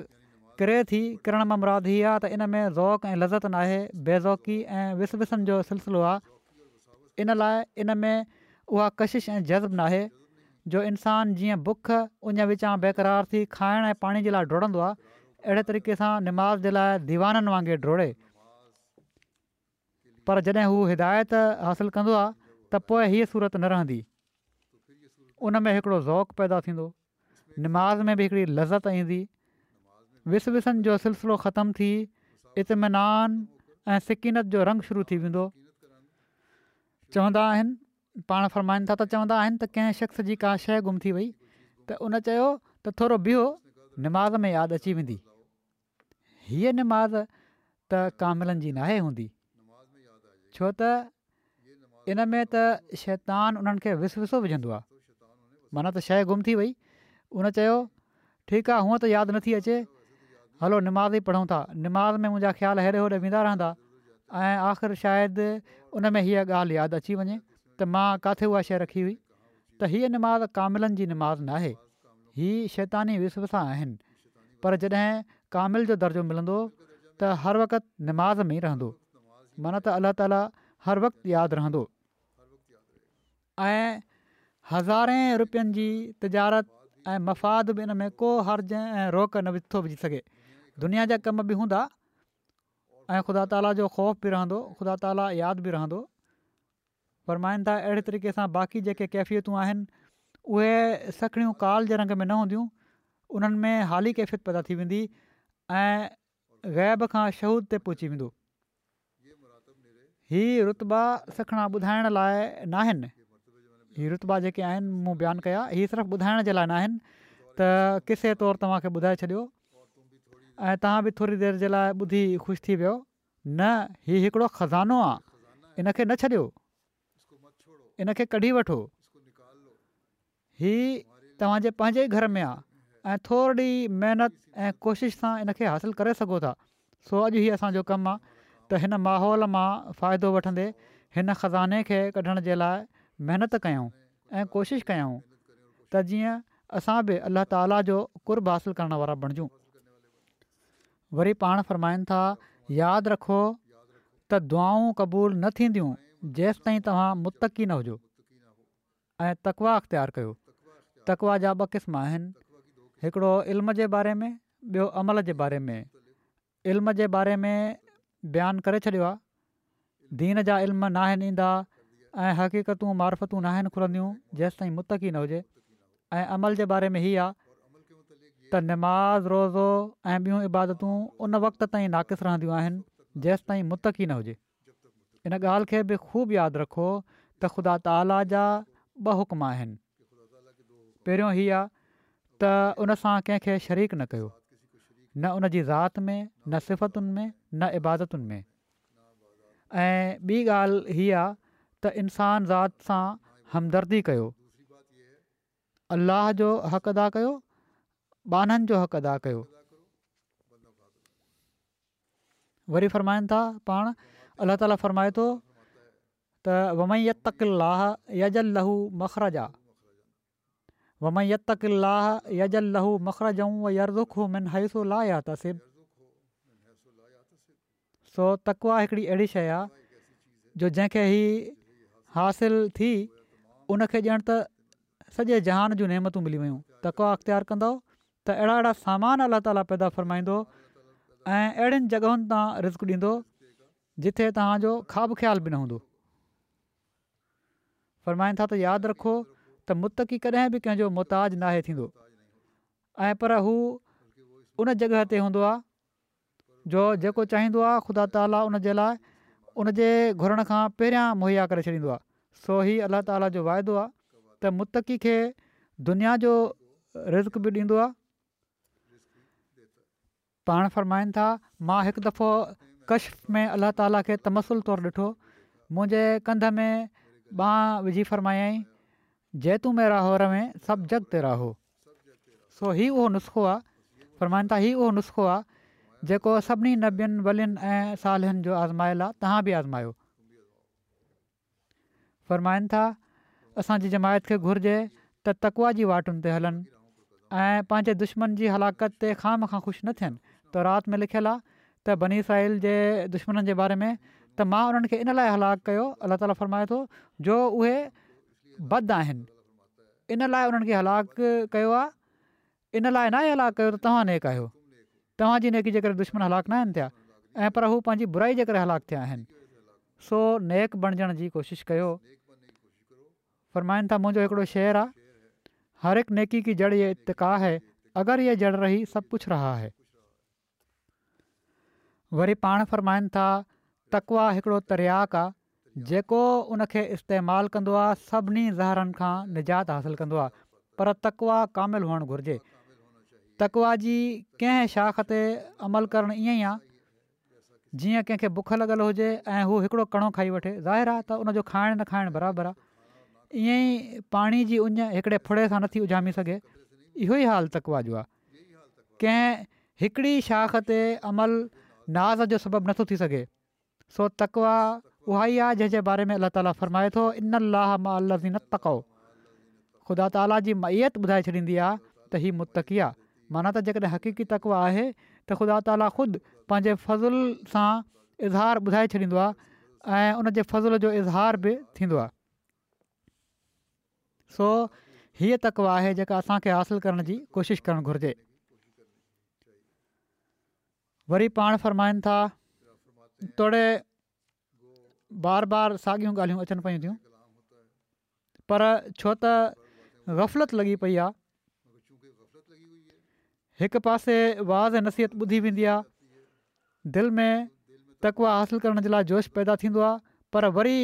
ڪري ٿي. ڪرڻ مان مراد هي آهي ته ان ۾ ذوق ۽ لذت ناهي، بي ذوقي ۽ وسوسن جو سلسلو آهي. ان لاء ان ۾ اها ڪشش ۽ جذب ناهي جو انسان جيئن بک اڃ وچان بيقرار ٿي کائڻ ۽ پاڻي جي لاء ڊوڙندو آهي، اهڙي طريقي سان نماز جي لاء ديوانن وانگي ڊوڙي. پر جڏهن هو هدايت حاصل ڪندو آهي ته پوء هيء صورت نه رهندي، ان ۾ هڪڙو ذوق پيدا ٿيندو، نماز ۾ به هڪڙي لذت ايندي، وسوسن جو سلسلو ختم ٿي اطمينان ۽ سڪينت جو رنگ شروع ٿي ويندو. چوندا آهن، پاڻ فرمائن ٿا ته چوندا آهن ته ڪنهن شخص جي ڪا شيء گم ٿي وئي ته ان چيو ته ٿورو بيهو نماز ۾ ياد اچي ويندي. هيء نماز ته ڪاملن جي ناهي هوندي، ڇو ته ان ۾ ته شيطان انهن کي وسوسو وجهندو آهي. معنيٰ ته شيء گم ٿي وئي، ان چيو ٺيڪ آهي هونء ته ياد نٿي اچي، هلو نماز ئي پڙهون ٿا، نماز ۾ منهنجا خيال هيڏي هوڏي ويندا رهندا ۽ آخر شايد ان ۾ هيء ڳالهه ياد اچي وڃي ته مان ڪاٿي اها شيء رکي هئي. ته هيء نماز ڪاملن جي نماز ناهي، هي شيطاني وسوسا آهن، پر جڏهن ڪامل جو درجو ملندو ته هر وقت نماز ۾ ئي رهندو، معنيٰ ته الله تعاليٰ هر وقت ياد رهندو. ۽ هزارين روپين جي تجارت ۽ مفاد به ان ۾ ڪو حرج ۽ روڪ نه ٿو وجهي سگهي. دنيا جا ڪم به هوندا ۽ خدا تعاليٰ جو خوف به رهندو، خدا تعاليٰ ياد به رهندو. فرمائن ٿا اهڙي طريقي سان باقي جيڪي ڪيفيتون آهن اهي سکڻيون قال جي رنگ ۾ نه هونديون، انهن ۾ حالي ڪيفيت پيدا ٿي ويندي ۽ غيب کان شهود تي پهچي ويندو. هي رتبا سکڻا ٻڌائڻ لاء ناهن، هي رتبا جيڪي آهن مون بيان ڪيا هي صرف ٻڌائڻ جي لاء ناهن ته قصي طور توهان کي ٻڌائي ڇڏيو ۽ توهان به ٿوري دير جي لاء ٻڌي خوش ٿي ويو، نه هي هڪڙو خزانو آ ان کي نه ڇڏيو، ان کي ڪڍي وٺو. هي توهان جي پنهنجي ئي گهر ۾ آ ۽ ٿورڙي محنت ۽ ڪوشش سان ان کي حاصل ڪري سگهو ٿا. سو اڄ هي اسان جو ڪم آ ته هن ماحول مان فائدو وٺندي هن خزاني کي ڪڍڻ جي لاء محنت ڪيون ۽ ڪوشش ڪيون ته جيئن اسان به الله تعالي جو قرب حاصل ڪرڻ وارا بڻجون. وري پاڻ فرمائن ٿا، ياد رکو ته دعائون قبول نه ٿينديون جيستائين توهان متقي نه هجو. ۽ تقويٰ اختيار ڪيو. تقويٰ جا ٻه قسم آهن، هڪڙو علم جي باري ۾ ٻيو عمل جي باري ۾. علم جي باري ۾ بيان ڪري ڇڏيو آهي، دين جا علم ناهن ايندا ۽ حقيقتون معرفتون ناهن کلنديون جيستائين متقي نه هجي ۽ عمل جي باري ۾ هي آهي ته نماز، روزو ۽ ٻيون عبادتون ان وقت تائين ناقص رهنديون آهن جيستائين متقي نه هجي. ان ڳالهه کي به خوب ياد رکو ته خدا تعاليٰ جا ٻه حڪم آهن. پهريون هي آ ته ان سان ڪنهن کي شريڪ نه ڪيو، نه ان جي ذات ۾ نه صفتن ۾ نه عبادتن ۾. ۽ ٻي ڳالهه هي آ ته انسان ذات سان همدردي ڪيو، الله جو حق ادا ڪيو، ٻانهن جو حق ادا ڪيو. وري فرمائن ٿا پاڻ الله تعالي فرمائي ٿو ته ومن يتق الله يجعل له مخرجا ومن يتق الله يجعل له مخرجا ويرزقه من حيث لا يحتسب سو تقويٰ هڪڙي اهڙي شيء آهي جو جنهن کي هي حاصل ٿي ان کي ڄڻ ته سڄي جهان جون نعمتون ملي ويون تقويٰ اختيار ڪندؤ ته اهڙا اهڙا سامان الله تعالي پيدا فرمائيندو ۽ اهڙين جڳهن تان رزق ڏيندو جتي توهان جو خواب خيال به نه هوندو. فرمائن ٿا ته ياد رکو ته متقي ڪڏهن به ڪنهن جو محتاج ناهي ٿيندو ۽ پر هو ان جڳهه تي هوندو آهي جو جيڪو چاهيندو آهي خدا تعالي ان جي لاء ان جي گهرڻ کان پهريان مهيا ڪري ڇڏيندو آهي سو هي الله تعالي جو واعدو آهي ته متقي کي دنيا جو رزق به ڏيندو آهي. پاڻ فرمائن ٿا مان هڪ دفعو ڪشف ۾ الله تعالي کي تمثل طور ڏٺو منهنجي ڪنڌ ۾ ٻانهن وجهي فرمايائين جي تون ميرا هو روين سڀ جڳ تيرا هو. سو هي اهو نسخو آ، فرمائن ٿا هي اهو نسخو آ جيڪو سڀني نبين، ولين ۽ صالحن جو آزمايل آ، توهان به آزمايو. فرمائن ٿا اسان جي جماعت کي گهرجي ته تقويٰ جي واٽن تي هلن ۽ پنهنجي دشمن جي هلاڪت تي خوامخواه خوش نه ٿين تورات ۾ لکيل آهي ته بني اسرائيل جي دشمنن جي باري ۾ ته مان انهن کي ان لاء هلاڪ ڪيو، الله تعاليٰ فرمائي ٿو، جو اهي بد آهن، ان لاء انهن کي هلاڪ ڪيو آهي، ان لاء ناهي هلاڪ ڪيو ته توهان نيڪ آهيو، توهان جي نيڪي جي ڪري دشمن هلاڪ ناهن ٿيا ۽ پر هو پنهنجي برائي جي ڪري هلاڪ ٿيا آهن. سو نيڪ بڻجڻ جي ڪوشش ڪيو. فرمائن ٿا منهنجو هڪڙو شعر آ، هر هڪ نيڪي ڪي جڙ يه اتقا هي، اگر يه جڙ رهي سڀ ڪڇ رها هي. وري پاڻ فرمائن ٿا تقويٰ هڪڙو ترياق آ، جيڪو ان کي استعمال ڪندو آ سڀني زهرن کان نجات حاصل ڪندو آ، پر تقويٰ ڪامل هئڻ گهرجي. تقويٰ جي ڪنهن شاخ تي عمل ڪرڻ ائين ئي آ جيئن ڪنهن کي بک لڳل هجي ۽ هو هڪڙو ڪڻو کائي وٺي، ظاهر آ ته ان جو کائڻ نه کائڻ برابر آ. ائين ئي پاڻي جي اڃ هڪڙي ڦڙي سان نٿي اجهامي سگهي. اهو ئي حال تقويٰ جو آ. ڪنهن هڪڙي شاخ تي عمل ناز جو سبب نٿو ٿي سگهي. سو تقويٰ اها ئي آهي جنهن جي باري ۾ الله تعاليٰ فرمائي ٿو ان الله مع الذين اتقوا خدا تعاليٰ جي معيت ٻڌائي ڇڏيندي آهي ته هي متقي آهي معنيٰ ته جيڪڏهن حقيقي تقويٰ آهي ته خدا تعاليٰ خود پنهنجي فضل سان اظهار ٻڌائي ڇڏيندو آهي ۽ ان جي فضل جو اظهار به ٿيندو آهي. سو هيء تقويٰ آهي جيڪا اسان کي حاصل ڪرڻ جي ڪوشش ڪرڻ گهرجي. وري پاڻ فرمائن ٿا توڙي بار بار ساڳيون ڳالهيون اچن پيون ٿيون پر ڇو ته غفلت لڳي پئي آهي هڪ پاسي وعظ ۽ نصيحت ٻڌي ويندي آهي دل ۾ تقويٰ حاصل ڪرڻ جي لاء جوش پيدا ٿيندو آهي پر وري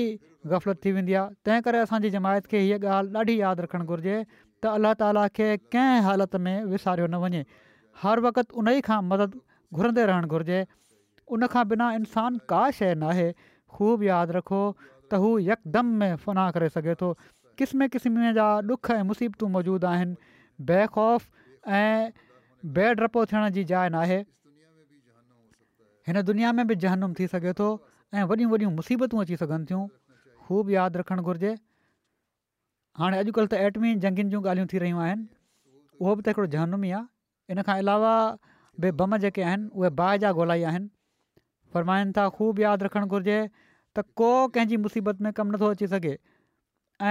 غفلت ٿي ويندي آهي تنهن ڪري اسان جي جماعت کي هيء ڳالهه ڏاڍي ياد رکڻ گهرجي ته الله تعاليٰ کي ڪنهن حالت ۾ وساريو نه وڃي هر وقت انهي کان مدد گهرندي رهڻ گهرجي ان کان بنا انسان ڪا شيء ناهي خوب ياد رکو ته هو يڪدم ۾ فنا ڪري سگهي ٿو قسمين قسمين جا ڏک ۽ مصيبتون موجود آهن بي خوف ۽ بي ڊپو ٿيڻ جي جاء ناهي هن دنيا ۾ به جهنم ٿي سگهي ٿو ۽ وڏيون وڏيون مصيبتون اچي سگهن ٿيون خوب ياد رکڻ گهرجي هاڻي اڄڪلهه ته ايٽمي جنگين جون ڳالهيون ٿي رهيون آهن اهو به ته هڪڙو جهنم ئي آهي ان کان علاوه به بم جيڪي آهن اهي باهه جا گولا ئي آهن فرمائن ٿا خوب ياد رکڻ گهرجي ته ڪو ڪنهن جي مصيبت ۾ ڪم نٿو اچي سگهي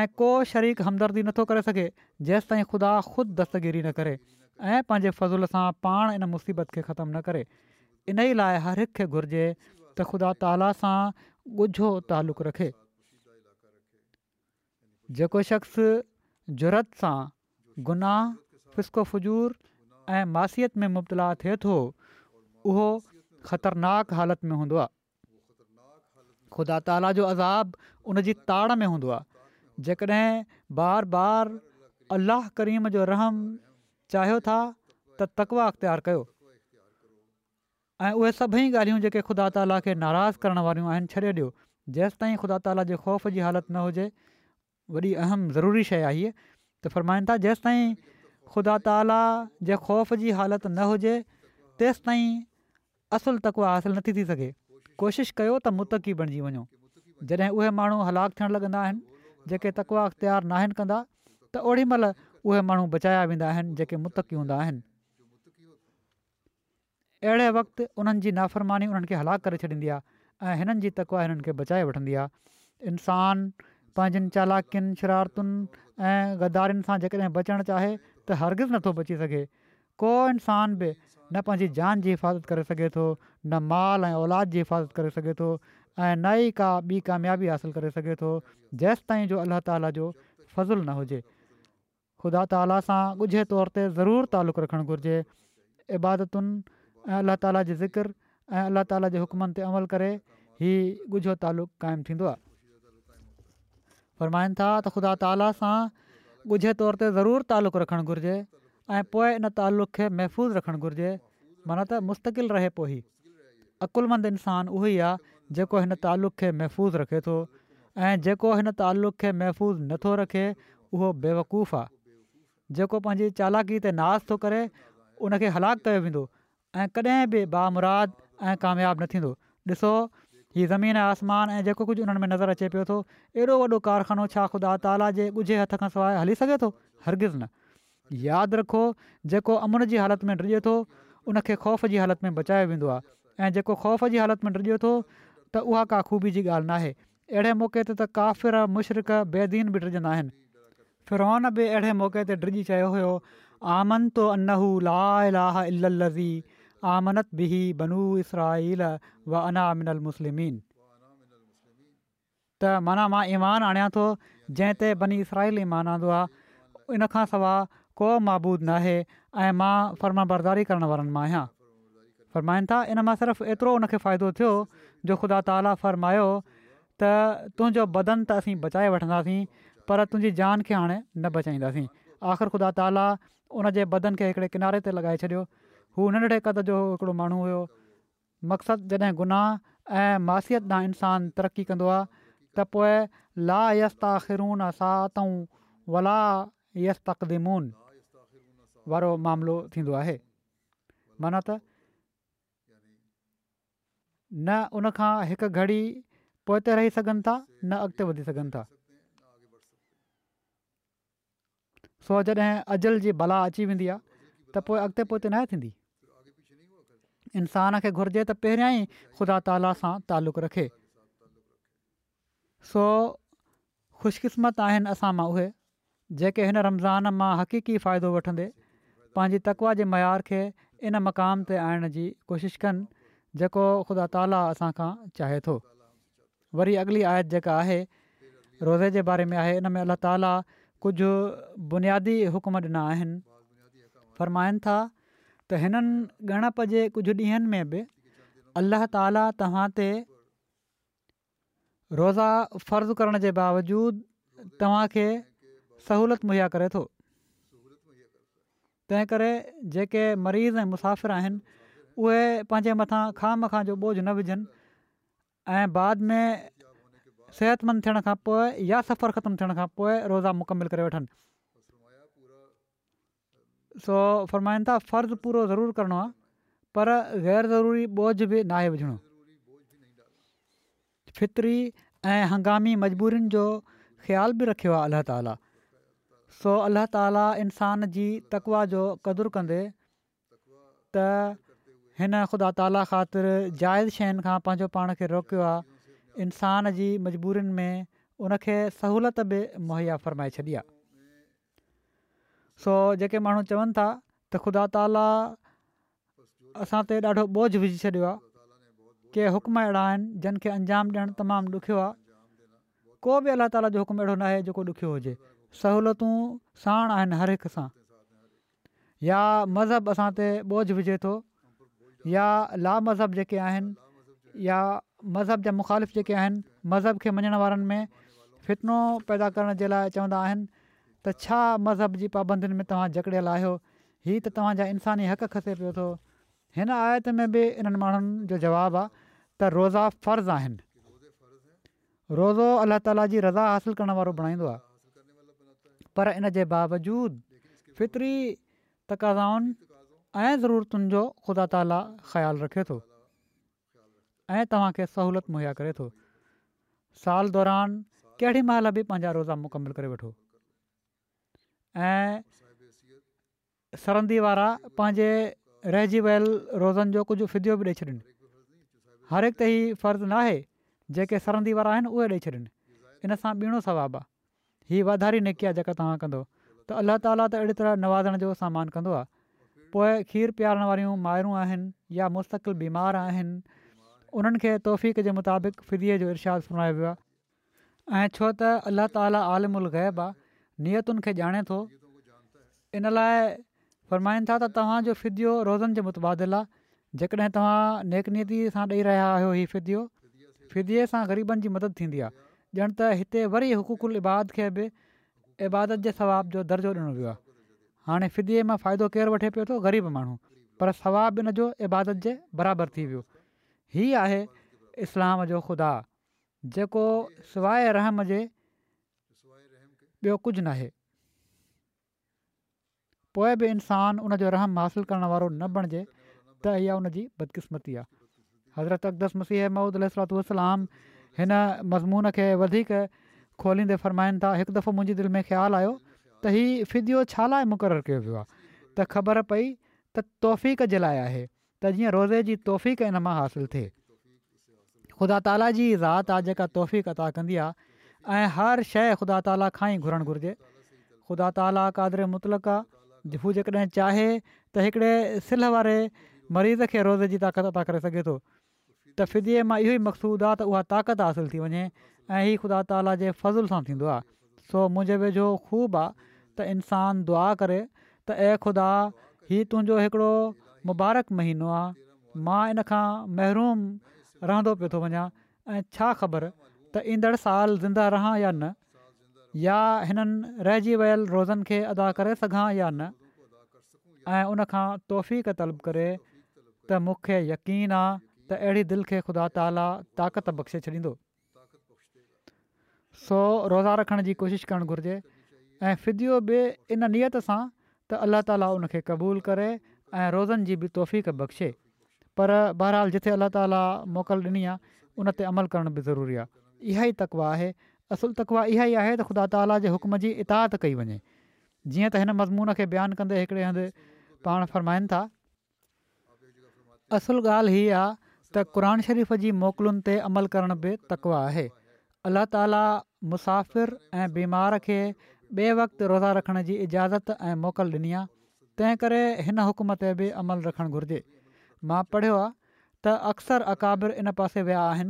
۽ ڪو شريڪ همدردي نٿو ڪري سگهي جيستائين خدا خود دستگيري نه ڪري ۽ پنهنجي فضل سان پاڻ ان مصيبت کي ختم نه ڪري. انهي لاء هر هڪ کي گهرجي ته خدا تعاليٰ سان ڳجهو تعلق رکي. جيڪو شخص جرئت سان گناهه، فسق و فجور ۽ معصيت ۾ مبتلا ٿئي ٿو اهو خطرناڪ حالت ۾ هوندو آهي. خدا تعاليٰ جو عذاب ان جي تاڙ ۾ هوندو آهي. جيڪڏهن بار بار الله ڪريم جو رحم چاهيو ٿا ته تقويٰ اختيار ڪيو ۽ اهي سڀئي ڳالهيون جيڪي خدا تعاليٰ کي ناراض ڪرڻ واريون آهن ڇڏي ڏيو جيستائين خدا تعاليٰ جي خوف جي حالت نه هجي وڏي اهم ضروري شيء آهي هيء ته فرمائن ٿا جيستائين خدا تعاليٰ جي خوف جي حالت نه هجي تيستائين اصل تقويٰ حاصل نٿي ٿي سگهي ڪوشش ڪيو ته متقي بڻجي وڃو جڏهن اهي ماڻهو هلاڪ ٿيڻ لڳندا آهن جيڪي تقويٰ اختيار ناهن ڪندا ته اوڏي مهل اهي ماڻهو بچايا ويندا آهن جيڪي متقي هوندا آهن اهڙي وقت انهن جي نافرماني انهن کي هلاڪ ڪري ڇڏيندي آهي ۽ هنن جي تقويٰ هنن کي بچائي وٺندي آهي. انسان پنهنجين چالاڪين، شرارتن ۽ غدارين سان جيڪڏهن بچڻ چاهي ته هرگز نٿو بچي سگهي. ڪو انسان به نه پنهنجي جان جي حفاظت ڪري سگهي ٿو، نه مال ۽ اولاد جي حفاظت ڪري سگهي ٿو ۽ نه ئي ڪا ٻي ڪاميابي حاصل ڪري سگهي ٿو جيستائين جو الله تعاليٰ جو فضل نه هجي. خدا تعاليٰ سان ڳجهي طور تي ضرور تعلق رکڻ گهرجي، عبادتن ۽ الله تعاليٰ جي ذڪر ۽ الله تعاليٰ جي حڪمن تي عمل ڪري هي ڳجهو تعلق قائم ٿيندو آهي. فرمائن ٿا ته خدا تعاليٰ سان ڳجهي طور تي ضرور تعلق رکڻ گهرجي ۽ پوء ان تعلق کي محفوظ رکڻ گهرجي معنيٰ ته مستقل رهي پوء هي عقلمند انسان اهو ئي آهي جيڪو هن تعلق کي محفوظ رکي ٿو ۽ جيڪو هن تعلق کي محفوظ نه ٿو رکي اهو بيوقوف آهي. جيڪو پنهنجي چالاڪي تي ناز ٿو ڪري ان کي هلاڪ ڪيو ويندو ۽ ڪڏهن به بامراد ۽ ڪامياب نه ٿيندو. ڏسو هي زمين ۽ آسمان ۽ جيڪو ڪجهه انهن ۾ نظر اچي پيو ٿو ايڏو وڏو ڪارخانو ڇا خدا تعاليٰ جي ڳجهي هٿ کان سواء هلي سگهي ٿو؟ هرگز نه. ياد رکو جيڪو امن جي حالت ۾ ڊڄي ٿو ان کي خوف جي حالت ۾ بچايو ويندو آهي ۽ جيڪو خوف جي حالت ۾ ڊڄي ٿو ته اها ڪا خوبي جي ڳالهه ناهي. اهڙي موقعي تي ته ڪافر، مشرڪ، بي دين به ڊڄندا آهن. فرعون به اهڙي موقعي تي ڊڄي چيو هيو، آمنت انه لا اله الا الذي آمنت به بنو اسرائيل وانا من المسلمين ته معنيٰ مان ايمان آڻيان ٿو جنهن تي بني اسرائيل ايمان آندو آهي، ان کان سواء ڪو معبود ناهي ۽ مان فرمانبرداري ڪرڻ وارن مان آهيان. فرمائن ٿا، ان مان صرف ايترو ان کي فائدو ٿيو جو خدا تعاليٰ فرمايو ته تنهنجو بدن ته اسين بچائي وٺنداسين پر تنهنجي جان کي هاڻي نه بچائينداسين. آخر خدا تعاليٰ ان جي بدن کي هڪڙي ڪناري تي لڳائي ڇڏيو. هو ننڍڙي قد جو هڪڙو ماڻهو هيو. مقصد جڏهن گناهه ۽ معصيت ڏانهن انسان ترقي ڪندو آهي ته پوء لا يستاخرون ساعة ولا يستقدمون وارو معاملو ٿيندو آهي. معنيٰ ته نه ان کان هڪ گهڙي پوئتي رهي سگهن ٿا نه اڳتي وڌي سگهن ٿا. سو جڏهن اجل جي بلا اچي ويندي آهي ته پوء اڳتي پوئتي ناهي ٿيندي. انسان کي گهرجي ته پهريان ئي خدا تعاليٰ سان تعلق رکي. سو خوشقسمت آهن اسان مان اهي جيڪي هن رمضان مان حقيقي فائدو وٺندي پنهنجي تقويٰ جي معيار کي ان مقام تي آڻڻ جي ڪوشش ڪن جيڪو خدا تعاليٰ اسان کان چاهي ٿو. وري اڳلي آيت جيڪا آهي روزي جي باري ۾ آهي ان ۾ الله تعاليٰ ڪجهه بنيادي حڪم ڏنا آهن. فرمائن ٿا ته هنن ڳڻپ جي ڪجهه ڏينهن ۾ به الله تعاليٰ توهان تي روزا فرض ڪرڻ جي باوجود توهان کي سهولت مهيا ڪري ٿو. تنهن ڪري جيڪي مريض ۽ مسافر آهن اهي پنهنجي مٿان خوامخواه جو ٻوجهه نه وجهن ۽ بعد ۾ صحتمند ٿيڻ کان پوء يا سفر ختم ٿيڻ کان پوء روزا مڪمل ڪري وٺن. سو فرمائن ٿا فرض پورو ضرور ڪرڻو آهي پر غير ضروري ٻوجهه به ناهي وجهڻو. فطري ۽ هنگامي مجبورين جو خيال به رکيو آهي الله تعالي. سو الله تعالي انسان جي تقويٰ جو قدر ڪندي ته هن خدا تعالي خاطر جائز شين کان پنهنجو پاڻ کي روڪيو آهي، انسان جي مجبورين ۾ ان کي سهولت به مهيا فرمائي ڇڏي آهي. سو جيڪي ماڻهو چون ٿا ته خدا تعاليٰ اسان تي ڏاڍو ٻوجهه وجهي ڇڏيو آهي، ڪي حڪم اهڙا آهن جن کي انجام ڏيڻ تمام ڏکيو آهي، ڪو به الله تعاليٰ جو حڪم اهڙو ناهي جيڪو ڏکيو هجي، سهولتون ساڻ آهن هر هڪ سان، يا مذهب اسان تي ٻوجهه وجهي ٿو يا لا مذهب جيڪي آهن يا مذهب جا مخالف جيڪي آهن مذهب کي مڃڻ وارن ۾ فتنو پيدا ڪرڻ جي لاء چوندا آهن ته ڇا مذهب جي پابندين ۾ توهان جڪڙيل آهيو؟ هي ته توهان جا انساني حق کسي پيو ٿو. هن آيت ۾ به انهن ماڻهن جو جواب آ ته روزا فرض آهن. روزو الله تعاليٰ جي رضا حاصل ڪرڻ وارو بڻائيندو آ. پر ان جي باوجود فطري تقاضائن ۽ ضرورتن جو خدا تعاليٰ خيال رکي ٿو ۽ توهان کي سهولت مهيا ڪري ٿو. سال دوران ڪهڙي مهل به پنهنجا روزا مڪمل ڪري وٺو ۽ سرندي وارا پنهنجي رهجي ويل روزن جو ڪجهه فديو به ڏئي ڇڏين. هر هڪ تي هي فرض ناهي، جيڪي سرندي وارا آهن اهي ڏئي ڇڏين. ان سان ٻيڻو ثواب آهي. هي واڌاري نيڪي آهي جيڪا توهان ڪندؤ ته الله تعاليٰ ته اهڙي طرح نوازڻ جو سامان ڪندو آهي. پوء کير پيارڻ واريون مائرون آهن يا مستقل بيمار آهن انهن کي توفيق جي مطابق فديي جو ارشاد فرمايو ويو آهي. ۽ ڇو ته الله تعاليٰ عالم الغيب آهي نيتن کي ڄاڻي ٿو ان لاء فرمائن ٿا ته توهان جو فديو روزن جي متبادل آهي جيڪڏهن توهان نيڪ نيتي سان ڏئي رهيا آهيو هي فديو، فديي سان غريبن جي مدد ٿيندي آهي، ڄڻ ته هتي وري حقوق العباد کي به عبادت جي ثواب جو درجو ڏنو ويو آهي. هاڻي فديي مان فائدو ڪير وٺي پيو ٿو؟ غريب ماڻهو، پر ثواب ان جو عبادت جي برابر ٿي ويو. هي آهي اسلام جو خدا، جيڪو سواء رحم جي ٻيو ڪجهه ناهي. پوء به انسان ان جو رحم حاصل ڪرڻ وارو نه بڻجي ته اها ان جي بدقسمتي آهي. حضرت اقدس مسيح موعود عليه الصلوة والسلام هن مضمون کي وڌيڪ کوليندي فرمائن ٿا، هڪ دفعو منهنجي دل ۾ خيال آيو ته هي فديو ڇا لاء مقرر ڪيو ويو آهي ته خبر پئي ته توفيق جي لاءِ آهي ته جيئن روزي جي توفيق ان مان حاصل ٿئي. خدا تعاليٰ جي ذات آ جيڪا توفيق عطا ڪندي آ ۽ هر شيءِ خدا تعاليٰ کان ئي گهرڻ گهرجي. خدا تعاليٰ قادر مطلق آ، هو جيڪڏهن چاهي ته هڪڙي سلهه واري مريض کي روزي جي طاقت عطا ڪري سگهي ٿو ته فديي مان اهو ئي مقصود آ ته اها طاقت حاصل ٿي وڃي ۽ هي خدا تعاليٰ جي فضل سان ٿيندو آ. سو منهنجي ويجهو خوب آ ته انسان دعا ڪري ته اي خدا هي تنهنجو هڪڙو مبارڪ مهينو آ، مان ان کان محروم رهندو پيو ٿو وڃان ۽ ڇا خبر ته ايندڙ سال زنده رهان يا نه، يا هنن رهجي ويل روزن کي ادا ڪري سگهان يا نه، ۽ ان کان توفيق طلب ڪري ته مون کي يقين آ ته اهڙي دل کي خدا تعاليٰ طاقت بخشي ڇڏيندو. سو روزا رکڻ جي ڪوشش ڪرڻ گهرجي ۽ فديو به ان نيت سان ته الله تعاليٰ ان کي قبول ڪري ۽ روزن جي به توفيق بخشي. پر بهرحال جٿي الله تعاليٰ موڪل ڏني آهي ان تي عمل ڪرڻ به ضروري آهي. اها ئي تقويٰ آهي. اصل تقويٰ اها ئي آهي ته خدا تعاليٰ جي حڪم جي اطاعت ڪئي وڃي. جيئن ته هن مضمون کي بيان ڪندي هڪڙي هنڌ پاڻ فرمائن ٿا. اصل ڳالهه هي آ ته قرآن شريف جي موڪلن تي عمل ڪرڻ به تقويٰ آهي. الله تعاليٰ مسافر ۽ بيمار کي ٻئي وقت روزا رکڻ جي اجازت ۽ موڪل ڏني آ، تنهن ڪري هن حڪم تي به عمل رکڻ گهرجي. مان پڙهيو آ ته اڪثر اڪابر ان پاسي ويا آهن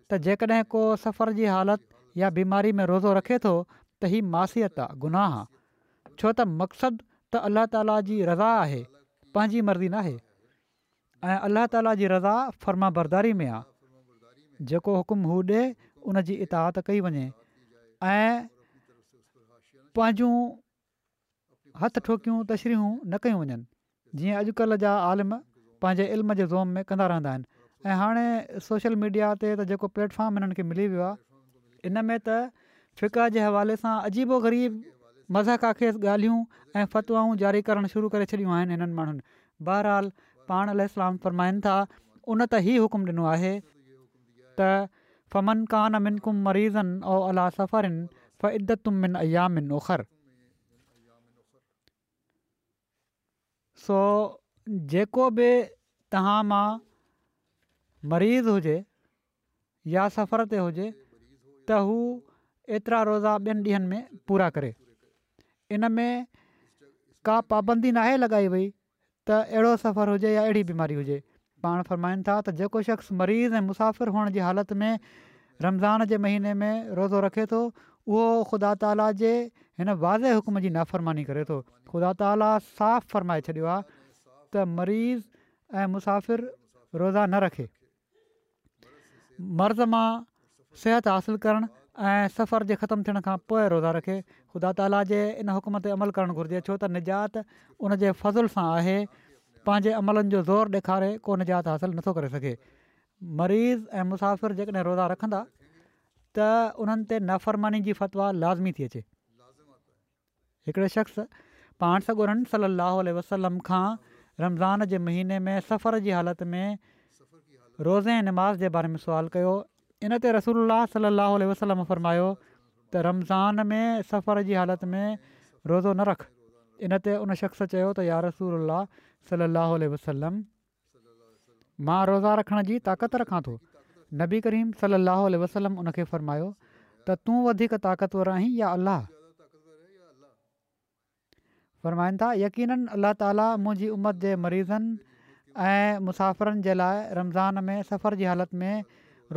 ته جيڪڏهن ڪو سفر جي حالت يا بيماري ۾ روزو رکي ٿو ته هي معصيت آ، گناهه آ، ڇو ته مقصد ته الله تعاليٰ جي رضا آهي، پنهنجي مرضي ناهي ۽ الله تعاليٰ جي رضا فرمانبرداري ۾ آ، جيڪو حڪم هو ڏي ان جي اطاعت ڪئي وڃي ۽ پنهنجون هٿ ٺوڪيون تشريحون نه ڪيون وڃن، جيئن اڄڪلهه جا عالم پنهنجي علم جي زعم ۾ ڪندا رهندا آهن ۽ هاڻي سوشل ميڊيا تي ته جيڪو پليٽ فارم هنن کي ملي ويو آهي، ان ۾ ته فقه جي حوالي سان عجيب و غريب مضحڪه خيز ڳالهيون ۽ فتوائون جاري ڪرڻ شروع ڪري ڇڏيون آهن هنن ماڻهن. بهرحال پاڻ عليه السلام فرمائن ٿا ان ته هي حڪم ڏنو آهي ته فمن ڪان منڪم مريضا او علي سفر فعدة من ايام اخر سو جيڪو به توهان مان مريض هجي يا سفر تي هجي ته هو ايترا روزا ٻين ڏينهن ۾ پورا ڪري. ان ۾ ڪا پابندي ناهي لڳائي وئي ته اهڙو سفر هجي يا اهڙي بيماري هجي. پاڻ فرمائن ٿا ته جيڪو شخص مريض ۽ مسافر هئڻ جي حالت ۾ رمضان جي مهيني ۾ روزو رکي ٿو اهو خدا تعاليٰ جي هن واضح حڪم جي نافرماني ڪري ٿو. خدا تعاليٰ صاف فرمائي ڇڏيو آهي ته مريض ۽ مسافر روزا نه رکي. مرض مان صحت حاصل ڪرڻ ۽ سفر جي ختم ٿيڻ کان پوءِ روزا رکي. خدا تعاليٰ جي ان حڪم تي عمل ڪرڻ گهرجي ڇو ته نجات ان جي فضل سان آهي. پنهنجي عملن جو زور ڏيکاري ڪو نجات حاصل نٿو ڪري سگهي. مريض ۽ مسافر جيڪڏهن روزا رکندا ته انهن تي نافرماني جي فتويٰ لازمي ٿي اچي. هڪڙي شخص پاڻ سڳورن صلي الله عليه وسلم کان رمضان جي مهيني ۾ سفر جي حالت ۾ روزي ۽ نماز جي باري ۾ سوال ڪيو، ان تي رسول الله صلي الله عليه وسلم فرمايو ته رمضان ۾ سفر جي حالت ۾ روزو نه رک، ان تي ان شخص چيو ته يا رسول الله صلي الله عليه وسلم! مان روزا رکڻ جي طاقت رکان ٿو. نبي ڪريم صلي الله عليه وسلم ان کي فرمايو ته تون وڌيڪ طاقتور آهين يا الله؟ فرمائن ٿا، يقيناً الله تعالي منهنجي امت جي مريضن ۽ مسافرن جي لاء رمضان ۾ سفر جي حالت ۾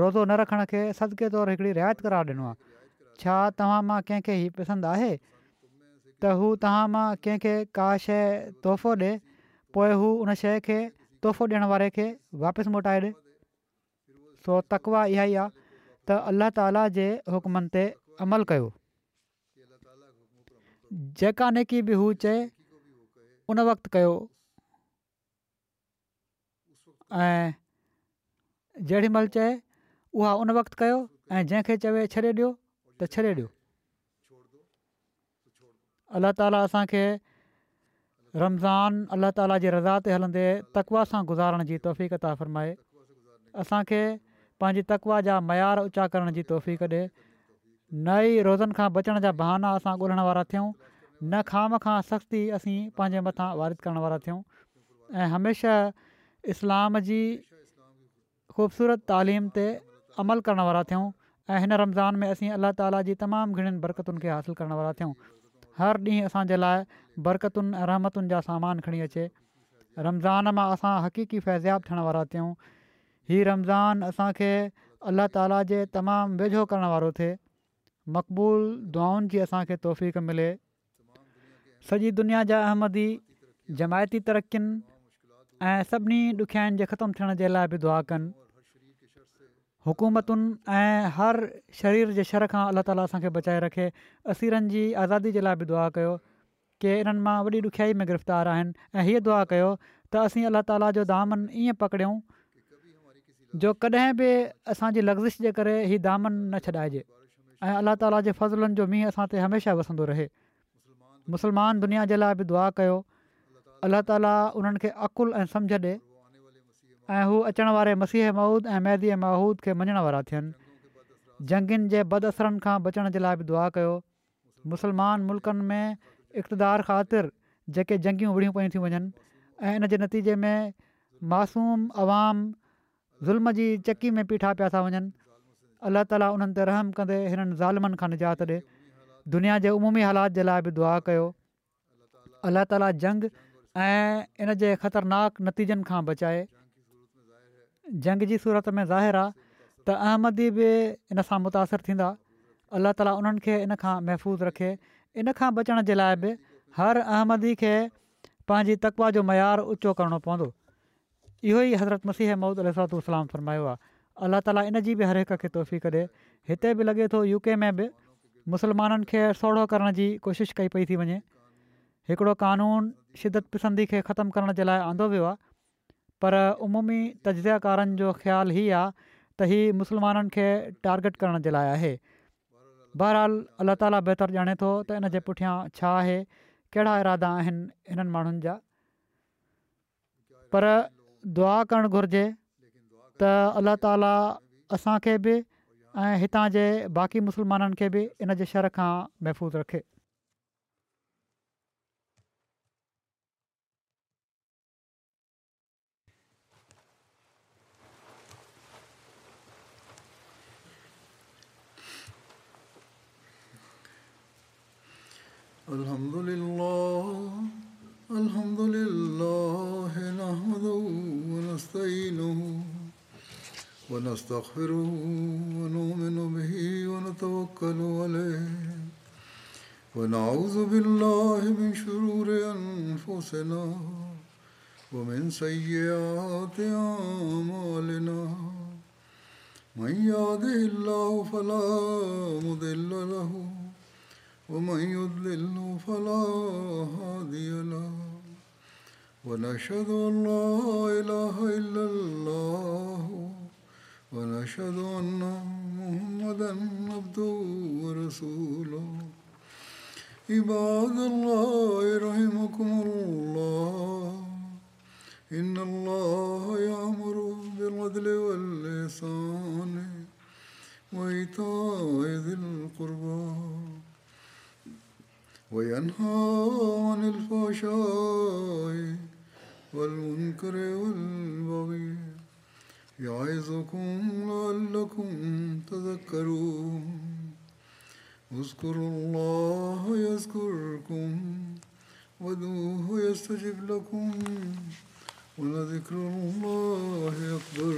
روزو نه رکڻ کي صدقي طور هڪڙي رعايت قرار ڏنو آهي. ڇا توهان مان ڪنهن کي هي پسند آهي ته هو توهان مان ڪنهن کي ڪا شيء تحفو ڏي پوءِ هو ان شيء کي تحفو ڏيڻ واري کي واپس موٽائي ڏي؟ سو تقويٰ اها ئي آهي ته الله تعالي جي حڪمن تي عمل ڪيو. جيڪا نيڪي به هو چئي ان وقت ڪيو ۽ جهڙي مهل چئي اها ان وقت ڪيو ۽ جنهن کي چوي ڇڏي ڏيو ته ڇڏي ڏيو. الله تعالي اسان کي رمضان الله تعالي جي رضا تي هلندي تقويٰ سان گذارڻ جي توفيق عطا فرمائي. اسان کي پنهنجي تقويٰ جا معيار اوچا ڪرڻ جي توفيق ڏي. نه ئي روزن کان بچڻ جا بهانا اسان ڳولڻ وارا ٿيون، نه خوامخواه سختي اسين پنهنجي مٿان وارد ڪرڻ وارا ٿيون ۽ هميشه اسلام جي خوبصورت تعليم تي عمل ڪرڻ وارا ٿيون ۽ هن رمضان ۾ اسين الله تعاليٰ جي تمام گهڻين برڪتن کي حاصل ڪرڻ وارا ٿيون. هر ڏينهن اسان جي لاء برڪتن ۽ رحمتن جا سامان کڻي اچي. رمضان مان اسان حقيقي فيضياب ٿيڻ وارا ٿيون. هي رمضان اسان کي الله تعاليٰ جي تمام ويجهو ڪرڻ وارو ٿئي. مقبول دعائن جي اسان کي توفيق ملي. سڄي دنيا جا احمدي جماعتي ترقين ۽ سڀني ڏکيائين جي ختم ٿيڻ جي لاء به دعا ڪن. حڪومتن ۽ هر شرير جي شر کان الله تعاليٰ اسان کي بچائي رکي. اسيرن جي آزادي جي لاء به دعا ڪيو. ڪي انهن مان وڏي ڏکيائي ۾ گرفتار آهن ۽ هيء دعا ڪيو ته اسين الله تعاليٰ جو دامن ائين پڪڙيون جو ڪڏهن به اسان جي لغزش جي ڪري هي دامن نه ڇڏائجي ۽ الله تعاليٰ جي فضلن جو مينهن اسان تي هميشه وسندو رهي. مسلمان دنيا جي لاء به دعا ڪيو. الله تعاليٰ انهن کي عقل ۽ سمجهه ڏي ۽ هو اچڻ واري مسيح موعود ۽ مهدي معهود کي مڃڻ وارا ٿين. جنگين جي بد اثرن کان بچڻ جي لاء به دعا ڪيو. مسلمان ملڪن ۾ اقتدار خاطر جيڪي جنگيون وڙهيون پيون ٿيون وڃن ۽ ان جي نتيجي ۾ معصوم عوام ظلم جي چڪي ۾ پيٺا پيا ٿا وڃن، الله تعاليٰ انهن تي رحم ڪندي هنن ظالمن کان نجات ڏي. دنيا جي عمومي حالات جي لاء به دعا ڪيو. الله تعاليٰ جنگ ۽ ان جي خطرناڪ نتيجن کان بچائي. جنگ جي صورت ۾ ظاهر آ ته احمدي به ان سان متاثر ٿيندا. الله تعاليٰ انهن کي ان کان محفوظ رکي. ان کان بچڻ جي لاء به هر احمدي کي پنهنجي تقويٰ جو معيار اوچو ڪرڻو پوندو. اهو ئي حضرت مسيح موعود عليه الصلوة والسلام فرمايو آ. الله تعاليٰ ان جي به هر هڪ کي توفيق ڏي. هتي به لڳي ٿو يو ڪي ۾ به مسلمانن کي سوڙهو ڪرڻ جي ڪوشش ڪئي پئي ٿي وڃي. هڪڙو قانون شدت پسندي کي ختم ڪرڻ جي لاء آندو ويو آ پر عمومي تجزيه ڪارن جو خيال هي آ ته هي مسلمانن کي ٽارگيٽ ڪرڻ جي لاء آهي. بهرحال الله تعاليٰ بهتر ڄاڻي ٿو ته ان جي پٺيان ڇا آهي، ڪهڙا ارادا آهن هنن ماڻهن جا. پر دعا ڪرڻ گهرجي ته الله تعاليٰ اسان کي به ۽ هتان جي باقي مسلمانن کي به ان جي شر کان محفوظ رکي. الحمد لله الحمد لله نحمده ونستعينه ونستغفره ونؤمن به ونتوكل عليه ونعوذ بالله من شرور أنفسنا ومن سيئات أعمالنا من يهده الله فلا مضل له ومن يضلل فلا هادي له ونشهد أن لا إله إلا الله ونشهد أن محمدا عبده ورسوله. عباد الله رحمكم الله، إن الله يأمر بالعدل والإحسان وإيتاء ذي القربى وينهى عن الفحشاء والمنكر والبغي يعظكم لعلكم تذكرون. اذكروا الله يذكركم وادعوه يستجب لكم ولذكر الله أكبر.